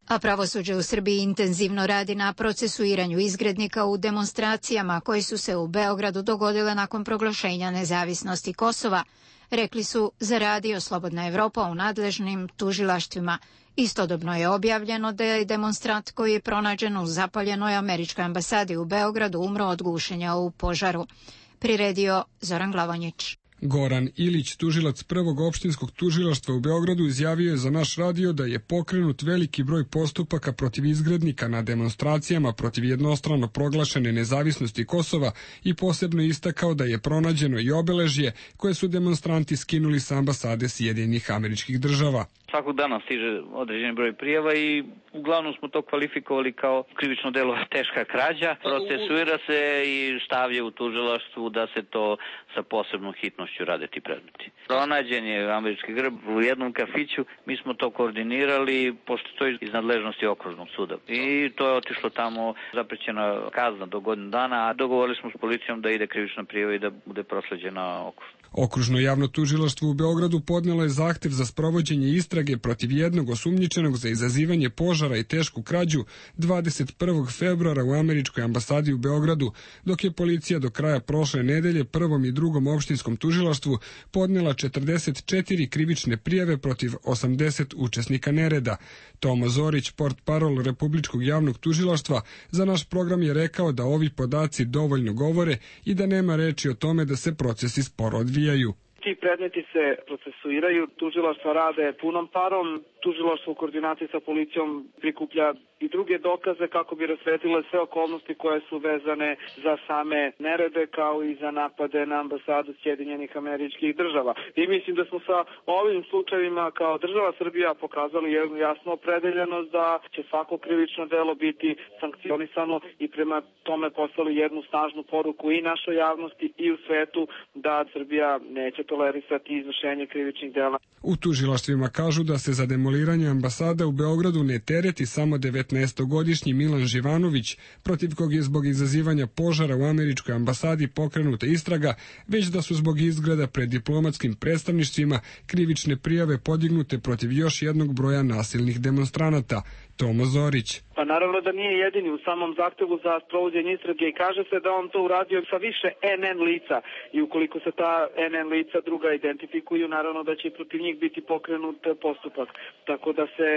A pravosuđe u Srbiji intenzivno radi na procesuiranju izgrednika u demonstracijama koje su se u Beogradu dogodile nakon proglašenja nezavisnosti Kosova, rekli su za radio Slobodna Evropa u nadležnim tužilaštvima. Istodobno je objavljeno da je demonstrant koji je pronađen u zapaljenoj američkoj ambasadi u Beogradu umro od gušenja u požaru. Priredio Zoran Glavonjić. Goran Ilić, tužilac prvog opštinskog tužilaštva u Beogradu, izjavio je za naš radio da je pokrenut veliki broj postupaka protiv izgrednika na demonstracijama protiv jednostrano proglašene nezavisnosti Kosova i posebno istakao da je pronađeno i obeležje koje su demonstranti skinuli sa ambasade Sjedinjenih Američkih Država. Svakog dana stiže određeni broj prijava i uglavnom smo to kvalifikovali kao krivično delo teška krađa. Procesuira se i stavlja u tužilaštvu da se to sa posebnom hitnošću rade ti predmeti. Pronađen je američki grb u jednom kafiću, mi smo to koordinirali, pošto to je iz nadležnosti okružnog suda. I to je otišlo tamo, zaprećena kazna do godinu dana, a dogovorili smo s policijom da ide krivična prijava i da bude prosleđena okružno. Okružno javno tužilaštvo u Beogradu podnelo je zahtev za sprovođenje istrage protiv jednog osumnjičenog za izazivanje požara i tešku krađu dvadeset prvog februara u američkoj ambasadi u Beogradu, dok je policija do kraja prošle nedelje prvom i drugom opštinskom tužilaštvu podnela četrdeset četiri krivične prijave protiv osamdeset učesnika nereda. Tomo Zorić, portparol Republičkog javnog tužilaštva, za naš program je rekao da ovi podaci dovoljno govore i da nema reči o tome da se procesi sporo odvijaju. Ti predmeti se procesuiraju, tužilaštva rade punom parom, tužilaštvo u koordinaciji sa policijom prikuplja i druge dokaze kako bi rasvetile sve okolnosti koje su vezane za same nerede kao i za napade na ambasadu Sjedinjenih Američkih Država. I mislim da smo sa ovim slučajevima kao država Srbija pokazali jednu jasnu opredeljenost da će svako krivično delo biti sankcionisano i prema tome poslali jednu snažnu poruku i našoj javnosti i u svetu da Srbija neće tolerisati izvršenje krivičnih dela. U tužilaštvima kažu da se za demoliranje ambasada u Beogradu ne tereti samo devetnaestogodišnji Milan Živanović, protiv kog je zbog izazivanja požara u američkoj ambasadi pokrenuta istraga, već da su zbog izgreda pred diplomatskim predstavništvima krivične prijave podignute protiv još jednog broja nasilnih demonstranata. Tomo Zorić. Pa naravno da nije jedini u samom zahtevu za sprovođenje istrage i kaže se da on to uradio sa više en en lica i ukoliko se ta en en lica druga identifikuju, naravno da će protiv njih biti pokrenut postupak, tako da se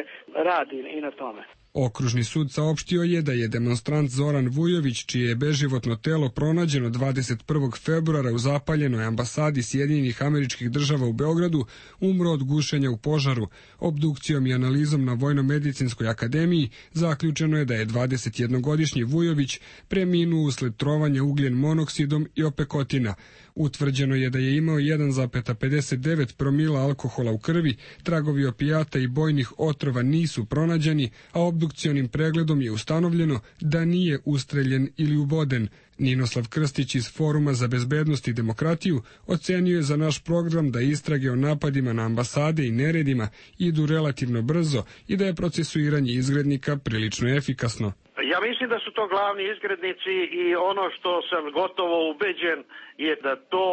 radi i na tome. Okružni sud saopštio je da je demonstrant Zoran Vujović, čije je beživotno telo pronađeno dvadeset prvog februara u zapaljenoj ambasadi Sjedinjenih Američkih Država u Beogradu, umro od gušenja u požaru. Obdukcijom i analizom na Vojno-medicinskoj akademiji zaključeno je da je dvadesetjednogodišnji Vujović preminuo usled trovanja ugljen monoksidom i opekotina. Utvrđeno je da je imao jedan zarez pedeset devet promila alkohola u krvi, tragovi opijata i bojnih otrova nisu pronađeni, a obdukcionim pregledom je ustanovljeno da nije ustreljen ili uboden. Ninoslav Krstić iz Foruma za bezbednost i demokratiju ocenio je za naš program da istrage o napadima na ambasade i neredima idu relativno brzo i da je procesuiranje izgrednika prilično efikasno. Ja mislim da su to glavni izgrednici i ono što sam gotovo ubeđen je da to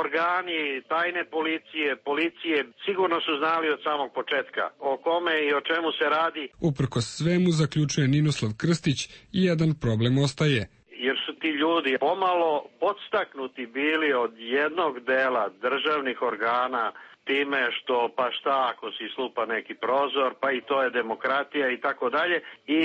organi tajne policije, policije sigurno su znali od samog početka o kome i o čemu se radi. Uprkos svemu, zaključuje Ninoslav Krstić, i jedan problem ostaje. Jer su ti ljudi pomalo podstaknuti bili od jednog dela državnih organa time što pa šta ako si slupa neki prozor, pa i to je demokratija i tako dalje. I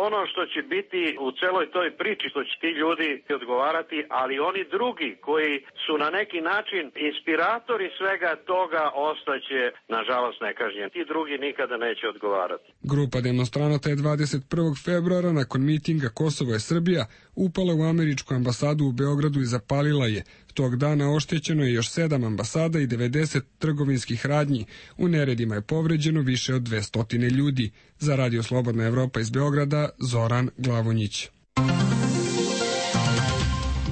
ono što će biti u celoj toj priči, što će ti ljudi odgovarati, ali oni drugi koji su na neki način inspiratori svega toga ostaće nažalost nekažnjeni. Ti drugi nikada neće odgovarati. Grupa demonstranata je dvadeset prvog februara nakon mitinga Kosovo je Srbija upala u američku ambasadu u Beogradu i zapalila je. Tog dana oštećeno je još sedam ambasada i devedeset trgovinskih radnji. U neredima je povređeno više od dvesta ljudi. Za Radio Slobodna Evropa iz Beograda, Zoran Glavonjić.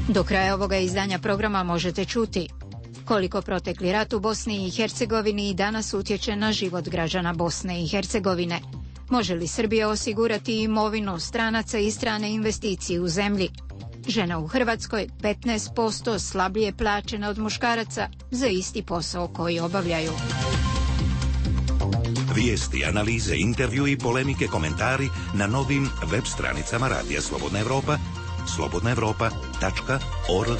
Do kraja ovoga izdanja programa možete čuti koliko protekli rat u Bosni i Hercegovini i danas utječe na život građana Bosne i Hercegovine. Može li Srbija osigurati imovinu stranaca i strane investicije u zemlji? Žena u Hrvatskoj petnaest posto slabije plaćena od muškaraca za isti posao koji obavljaju. Vijesti, analize, intervju i polemike, komentari na novim web stranicama Radija Slobodna Evropa, slobodna evropa tačka org.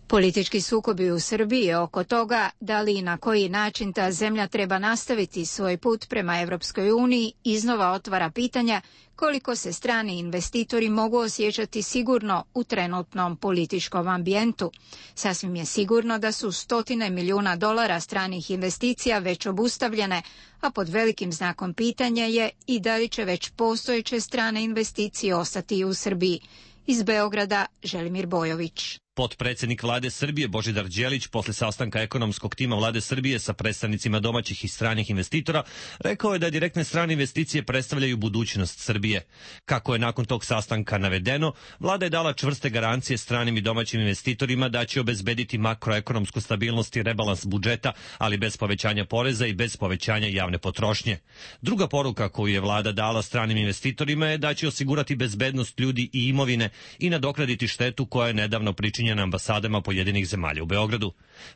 Politički sukobi u Srbiji oko toga da li i na koji način ta zemlja treba nastaviti svoj put prema Evropskoj uniji iznova otvara pitanja koliko se strani investitori mogu osjećati sigurno u trenutnom političkom ambijentu. Sasvim je sigurno da su stotine milijuna dolara stranih investicija već obustavljene, a pod velikim znakom pitanja je i da li će već postojeće strane investicije ostati u Srbiji. Iz Beograda, Želimir Bojović. Potpredsjednik vlade Srbije Božidar Đelić posle sastanka ekonomskog tima vlade Srbije sa predstavnicima domaćih i stranih investitora rekao je da direktne strane investicije predstavljaju budućnost Srbije. Kako je nakon tog sastanka navedeno, vlada je dala čvrste garancije stranim i domaćim investitorima da će obezbediti makroekonomsku stabilnost i rebalans budžeta, ali bez povećanja poreza i bez povećanja javne potrošnje. Druga poruka koju je vlada dala stranim investitorima je da će osigurati bezbednost ljudi i imovine i nadoknaditi štetu koja je nedavno pričinjena na ambasadama pojedinih zemalja u Beogradu.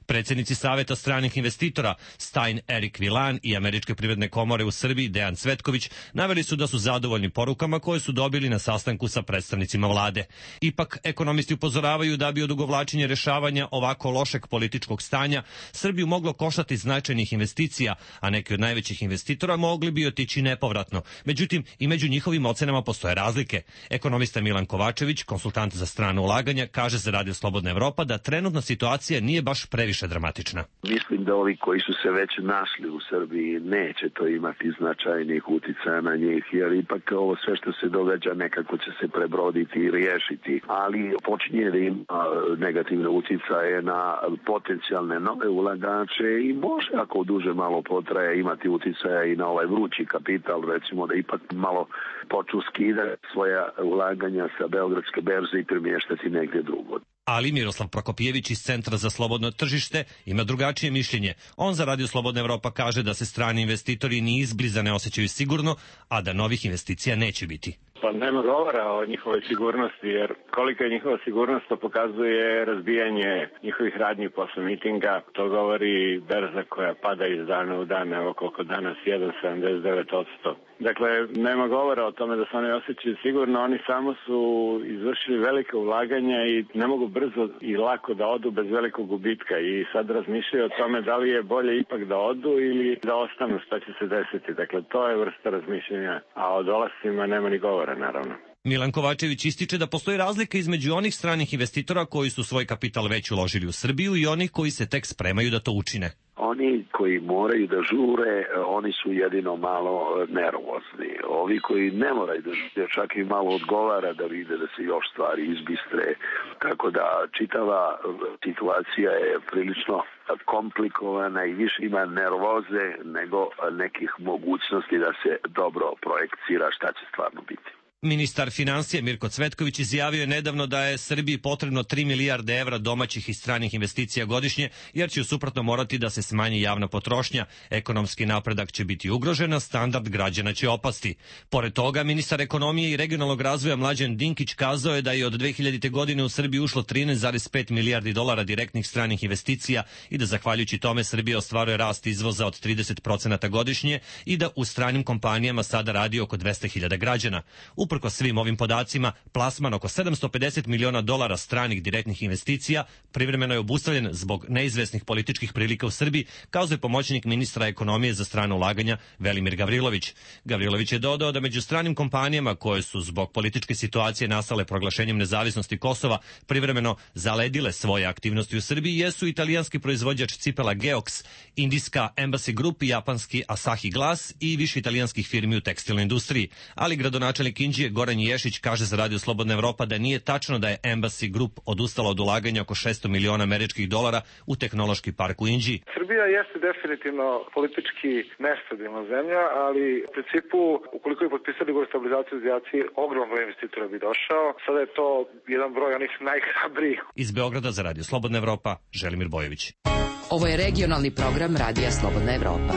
Predsjednici Saveta stranih investitora Stein Erik Vilan i Američke privredne komore u Srbiji Dejan Cvetković naveli su da su zadovoljni porukama koje su dobili na sastanku sa predstavnicima vlade. Ipak, ekonomisti upozoravaju da bi odugovlačenje rešavanja ovako lošeg političkog stanja Srbiju moglo koštati značajnih investicija, a neki od najvećih investitora mogli bi otići nepovratno. Međutim, i među njihovim ocenama postoje razlike. Ekonomista Milan Kovačević, konsultant za strano ulaganja, kaže za Radio Slobodna Evropa da trenutna situacija nije baš previše dramatična. Mislim da ovi koji su se već našli u Srbiji neće to imati značajnih uticaja na njih, jer ipak ovo sve što se događa nekako će se prebroditi i riješiti, ali počinje da ima negativne uticaje na potencijalne nove ulagače i može, ako duže malo potraje, imati uticaja i na ovaj vrući kapital, recimo da ipak malo počnu skidati svoja ulaganja sa Beogradske berze i premještati negdje drugo. Ali Miroslav Prokopijević iz Centra za slobodno tržište ima drugačije mišljenje. On za Radio Slobodna Evropa kaže da se strani investitori ni izbliza ne osjećaju sigurno, a da novih investicija neće biti. Pa nema govora o njihovoj sigurnosti, jer kolika je njihova sigurnost, to pokazuje razbijanje njihovih radnji posle mitinga. To govori berza koja pada iz dana u dan, evo koliko danas, jedan zarez sedamdeset devet posto. Dakle, nema govora o tome da se oni osjećaju sigurno, oni samo su izvršili velike ulaganja i ne mogu brzo i lako da odu bez velikog gubitka i sad razmišljaju o tome da li je bolje ipak da odu ili da ostanu, šta će se desiti. Dakle, to je vrsta razmišljenja, a o dolascima nema ni govora, naravno. Milan Kovačević ističe da postoji razlika između onih stranih investitora koji su svoj kapital već uložili u Srbiju i onih koji se tek spremaju da to učine. Oni koji moraju da žure, oni su jedino malo nervozni. Ovi koji ne moraju da žure, čak i malo odgovara da vide da se još stvari izbistre. Tako da čitava situacija je prilično komplikovana i više ima nervoze nego nekih mogućnosti da se dobro projekcira šta će stvarno biti. Ministar financija Mirko Cvetković izjavio je nedavno da je Srbiji potrebno tri milijarde evra domaćih i stranih investicija godišnje, jer će suprotno morati da se smanji javna potrošnja, ekonomski napredak će biti ugrožen, a standard građana će opasti. Pored toga, ministar ekonomije i regionalnog razvoja Mlađan Dinkić kazao je da je od dve hiljadite. godine u Srbiji ušlo trinaest zarez pet milijardi dolara direktnih stranih investicija i da zahvaljujući tome Srbija ostvaruje rast izvoza od trideset procenata godišnje i da u stranim kompanijama sada radi oko dvesta hiljada građana. Uprkos svim ovim podacima, plasman oko sedamsto pedeset miliona dolara stranih direktnih investicija privremeno je obustavljen zbog neizvesnih političkih prilika u Srbiji, kao je pomoćnik ministra ekonomije za strana ulaganja Velimir Gavrilović. Gavrilović je dodao da među stranim kompanijama koje su zbog političke situacije nastale proglašenjem nezavisnosti Kosova privremeno zaledile svoje aktivnosti u Srbiji jesu italijanski proizvođač cipela Geox, indijska Embassy Group i japanski Asahi Glass i više italijanskih firmi u tekstilnoj industriji. Ali gradonačelnik Inđije Goran Ješić kaže za Radio Slobodna Evropa da nije tačno da je Embassy Group odustala od ulaganja oko šesto miliona američkih dolara u tehnološki park u Inđiji. Srbija jeste definitivno politički nestabilna zemlja, ali u principu, ukoliko bi potpisali ugovor o stabilizaciji i asociaciji, ogroman broj investitora bi došao. Sada je to jedan broj onih najhrabrijih. Iz Beograda za Radio Slobodna Evropa, Želimir Bojović. Ovo je regionalni program Radija Slobodna Evropa.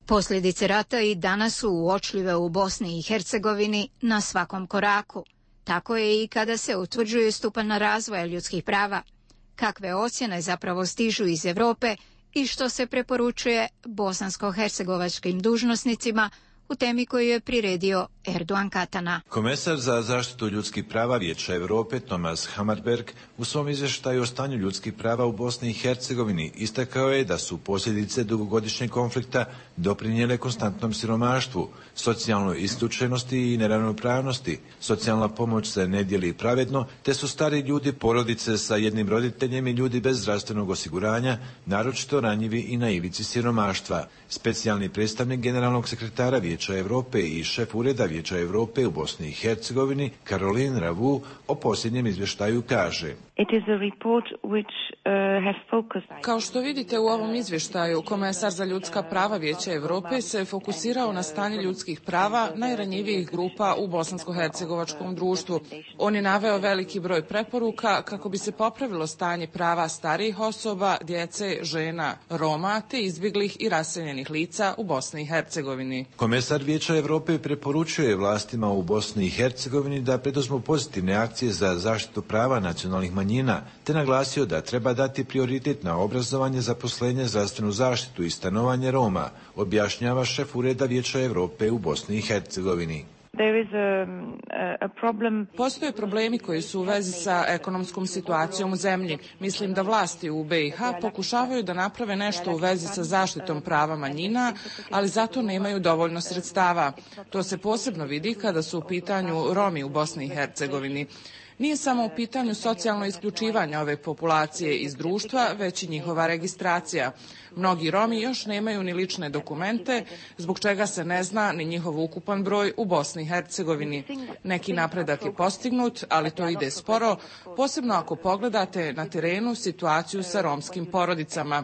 Posljedice rata i danas su uočljive u Bosni i Hercegovini na svakom koraku. Tako je i kada se utvrđuje stupanj razvoja ljudskih prava. Kakve ocjene zapravo stižu iz Europe i što se preporučuje bosansko-hercegovačkim dužnosnicima u temi koju je priredio Erdogan Katana. Komesar za zaštitu ljudskih prava Vijeća Europe Thomas Hammarberg u svom izvještaju o stanju ljudskih prava u Bosni i Hercegovini istakao je da su posljedice dugogodišnjeg konflikta doprinijele konstantnom siromaštvu, socijalnoj isključenosti i neravnopravnosti. Socijalna pomoć se ne dijeli pravedno, te su stari ljudi, porodice sa jednim roditeljem i ljudi bez zdravstvenog osiguranja naročito ranjivi i na ivici siromaštva. Specijalni predstavnik generalnog sekretara Vijeća Europe i šef ureda Vijeća Europe u Bosni i Hercegovini Caroline Ravu o posljednjem izvještaju kaže: It is a report which uh, has focused... Kao što vidite u ovom izvještaju, komesar za ljudska prava Vijeća Europe se fokusirao na stanje ljudskih prava najranjivijih grupa u bosansko-hercegovačkom društvu. On je naveo veliki broj preporuka kako bi se popravilo stanje prava starijih osoba, djece, žena, Roma te izbjeglih i raseljenih lica u Bosni i Hercegovini. Komesar Vijeća Europe preporučuje vlastima u Bosni i Hercegovini da preduzmu pozitivne akcije za zaštitu prava nacionalnih manjina, te naglasio da treba dati prioritet na obrazovanje, zaposlenje, zdravstvenu zaštitu i stanovanje Roma, objašnjava šef ureda Vijeća Europe u Bosni i Hercegovini. There is a, a problem. Postoje problemi koji su u vezi sa ekonomskom situacijom u zemlji. Mislim da vlasti u B i H pokušavaju da naprave nešto u vezi sa zaštitom prava manjina, ali zato nemaju dovoljno sredstava. To se posebno vidi kada su u pitanju Romi u Bosni i Hercegovini. Nije samo u pitanju socijalno isključivanje ove populacije iz društva, već i njihova registracija. Mnogi Romi još nemaju ni lične dokumente, zbog čega se ne zna ni njihov ukupan broj u Bosni i Hercegovini. Neki napredak je postignut, ali to ide sporo, posebno ako pogledate na terenu situaciju sa romskim porodicama.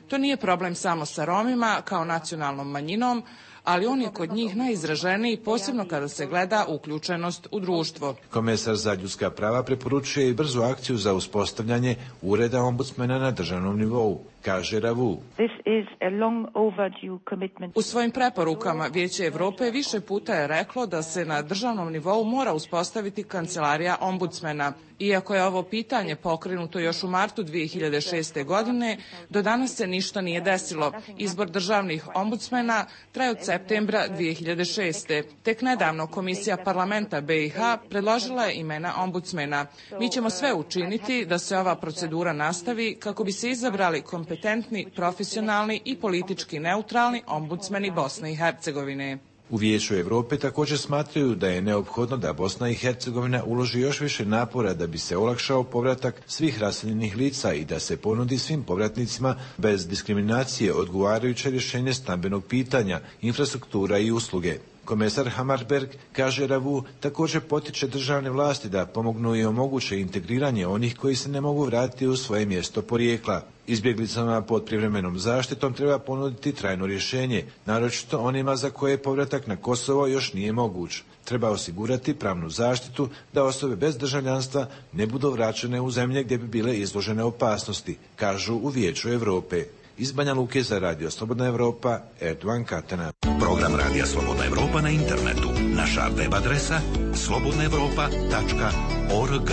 To nije problem samo sa Romima kao nacionalnom manjinom, ali on je kod njih najizraženiji, posebno kada se gleda uključenost u društvo. Komesar za ljudska prava preporučuje i brzu akciju za uspostavljanje ureda ombudsmena na državnom nivou, kaže Ravu. U svojim preporukama Vijeće Europe više puta je reklo da se na državnom nivou mora uspostaviti kancelarija ombudsmena. Iako je ovo pitanje pokrenuto još u martu dvije hiljade šeste. godine, do danas se ništa nije desilo. Izbor državnih ombudsmena traje od septembra dvije hiljade šeste. Tek nedavno Komisija parlamenta B i H predložila je imena ombudsmena. Mi ćemo sve učiniti da se ova procedura nastavi kako bi se izabrali kompetentni, profesionalni i politički neutralni ombudsmeni Bosne i Hercegovine. U Vijeću Europe također smatraju da je neophodno da Bosna i Hercegovina uloži još više napora da bi se olakšao povratak svih raseljenih lica i da se ponudi svim povratnicima bez diskriminacije odgovarajuće rješenje stambenog pitanja, infrastruktura i usluge. Komesar Hammarberg, kaže Ravu, također potiče državne vlasti da pomognu i omoguće integriranje onih koji se ne mogu vratiti u svoje mjesto porijekla. Izbjeglicama pod privremenom zaštitom treba ponuditi trajno rješenje, naročito onima za koje povratak na Kosovo još nije moguć. Treba osigurati pravnu zaštitu da osobe bez državljanstva ne budu vraćene u zemlje gdje bi bile izložene opasnosti, kažu u Vijeću Europe. Iz Banja Luke za Radio Slobodna Evropa, Erdogan Katana. Program Radija Slobodna Evropa na internetu. Naša web adresa slobodna evropa tačka org.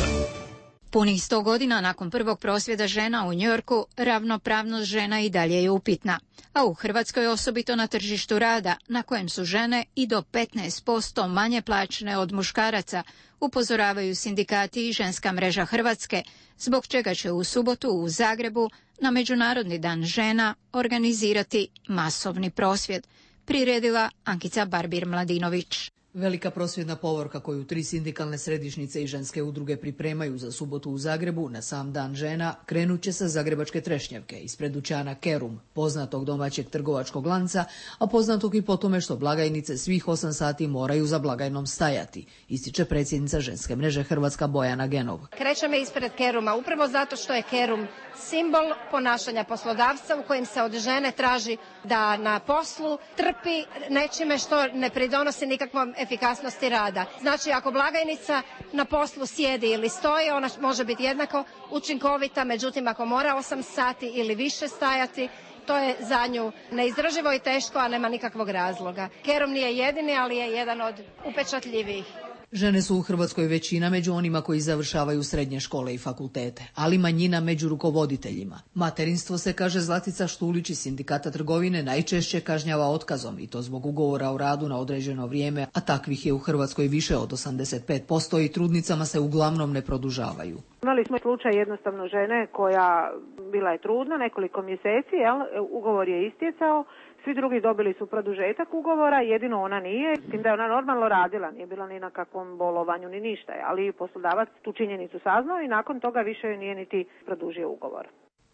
Punih sto godina nakon prvog prosvjeda žena u Njujorku, ravnopravnost žena i dalje je upitna. A u Hrvatskoj, osobito na tržištu rada, na kojem su žene i do petnaest posto manje plaćene od muškaraca, upozoravaju sindikati i Ženska mreža Hrvatske, zbog čega će u subotu u Zagrebu na Međunarodni dan žena organizirati masovni prosvjed, priredila Ankica Barbir-Mladinović. Velika prosvjedna povorka koju tri sindikalne središnjice i ženske udruge pripremaju za subotu u Zagrebu na sam dan žena krenut će sa zagrebačke Trešnjevke ispred dućana Kerum, poznatog domaćeg trgovačkog lanca, a poznatog i po tome što blagajnice svih osam sati moraju za blagajnom stajati, ističe predsjednica Ženske mreže Hrvatska Bojana Genov. Krećemo ispred Keruma upravo zato što je Kerum simbol ponašanja poslodavca u kojem se od žene traži da na poslu trpi nečime što ne pridonosi nikakvom efikasnosti rada. Znači, ako blagajnica na poslu sjedi ili stoji, ona može biti jednako učinkovita, međutim ako mora osam sati ili više stajati, to je za nju neizdrživo i teško, a nema nikakvog razloga. Kerum nije jedini, ali je jedan od upečatljivijih. Žene su u Hrvatskoj većina među onima koji završavaju srednje škole i fakultete, ali manjina među rukovoditeljima. Materinstvo se, kaže Zlatica Štulić iz Sindikata trgovine, najčešće kažnjava otkazom i to zbog ugovora o radu na određeno vrijeme, a takvih je u Hrvatskoj više od osamdeset pet posto i trudnicama se uglavnom ne produžavaju. Imali smo slučaj jednostavno žene koja bila je trudna nekoliko mjeseci, jel? Ugovor je istjecao. Svi drugi dobili su produžetak ugovora, jedino ona nije, s tim da je ona normalno radila, nije bila ni na kakvom bolovanju ni ništa, ali poslodavac tu činjenicu saznao i nakon toga više nije niti produžio ugovor.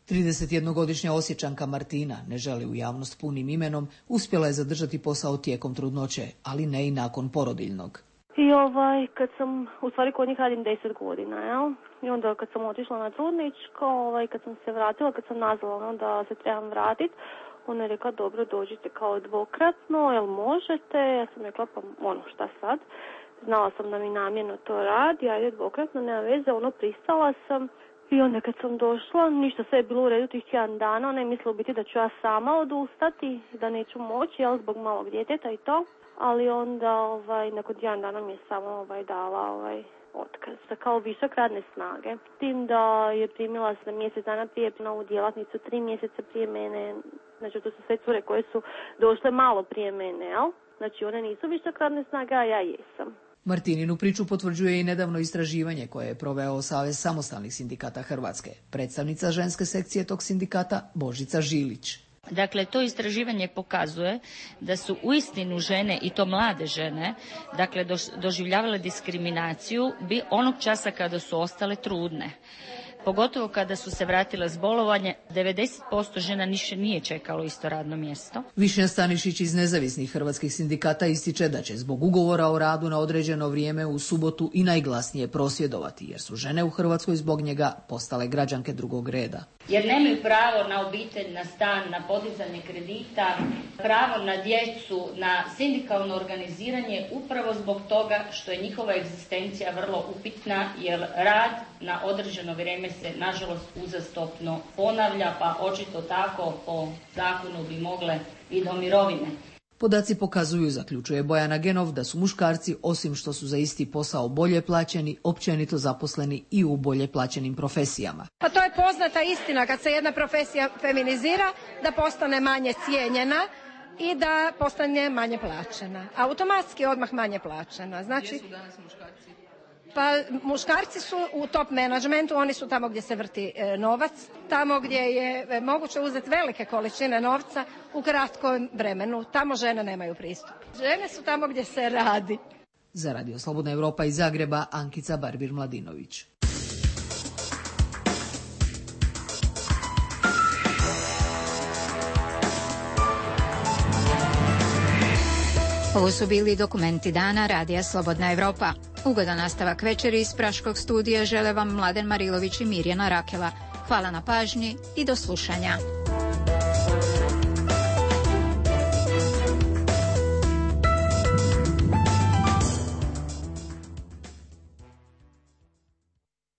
tridesetjednogodišnja Osječanka Martina, ne želi u javnost punim imenom, uspjela je zadržati posao tijekom trudnoće, ali ne i nakon porodiljnog. I ovaj, kad sam, u stvari kod njih radim deset godina, jel? I onda kad sam otišla na trudničko, ovaj, kad sam se vratila, kad sam nazvala ono da se trebam vratiti, ona je rekla, dobro, dođite kao dvokratno, jel možete? Ja sam rekla, pa ono, šta sad? Znala sam da mi namjerno to radi, ajde dvokratno, nema veze, ono, pristala sam. I onda kad sam došla, ništa, sve je bilo u redu tih tjedan dana, ona je mislila biti da ću ja sama odustati, da neću moći, jel, zbog malog djeteta i to. Ali onda, ovaj, nakon tjedan dana mi je samo, ovaj, dala, ovaj, otkaz, kao višak radne snage. Tim da je primila se mjesec dana prije novu djelatnicu, tri mjeseca prije mene. Znači, to su sve cure koje su došle malo prije mene, jel? Znači, one nisu višak radne snage, a ja jesam. Martininu priču potvrđuje i nedavno istraživanje koje je proveo Savez samostalnih sindikata Hrvatske. Predstavnica ženske sekcije tog sindikata Božica Žilić. Dakle, to istraživanje pokazuje da su uistinu žene, i to mlade žene, dakle, doživljavale diskriminaciju bi onog časa kada su ostale trudne. Pogotovo kada su se vratile s bolovanja, devedeset posto žena više nije čekalo isto radno mjesto. Višnja Stanišić iz nezavisnih hrvatskih sindikata ističe da će zbog ugovora o radu na određeno vrijeme u subotu i najglasnije prosvjedovati, jer su žene u Hrvatskoj zbog njega postale građanke drugog reda. Jer nemaju pravo na obitelj, na stan, na podizanje kredita, pravo na djecu, na sindikalno organiziranje upravo zbog toga što je njihova egzistencija vrlo upitna, jer rad na određeno vrijeme se nažalost uzastopno ponavlja, pa očito tako po zakonu bi mogle i do mirovine. Podaci pokazuju, zaključuje Bojana Genov, da su muškarci, osim što su za isti posao bolje plaćeni, općenito zaposleni i u bolje plaćenim profesijama. Pa to je poznata istina, kad se jedna profesija feminizira, da postane manje cijenjena i da postane manje plaćena. Automatski odmah manje plaćena. Znači, gdje su danas muškarci? Pa muškarci su u top menadžmentu, oni su tamo gdje se vrti novac, tamo gdje je moguće uzeti velike količine novca u kratkom vremenu. Tamo žene nemaju pristup. Žene su tamo gdje se radi. Za Radio Slobodna Evropa iz Zagreba, Ankica Barbir-Mladinović. Ovo su bili dokumenti dana Radija Slobodna Evropa. Ugodan nastavak večeri iz Praškog studija žele vam Mladen Marilović i Mirjana Rakela. Hvala na pažnji i do slušanja.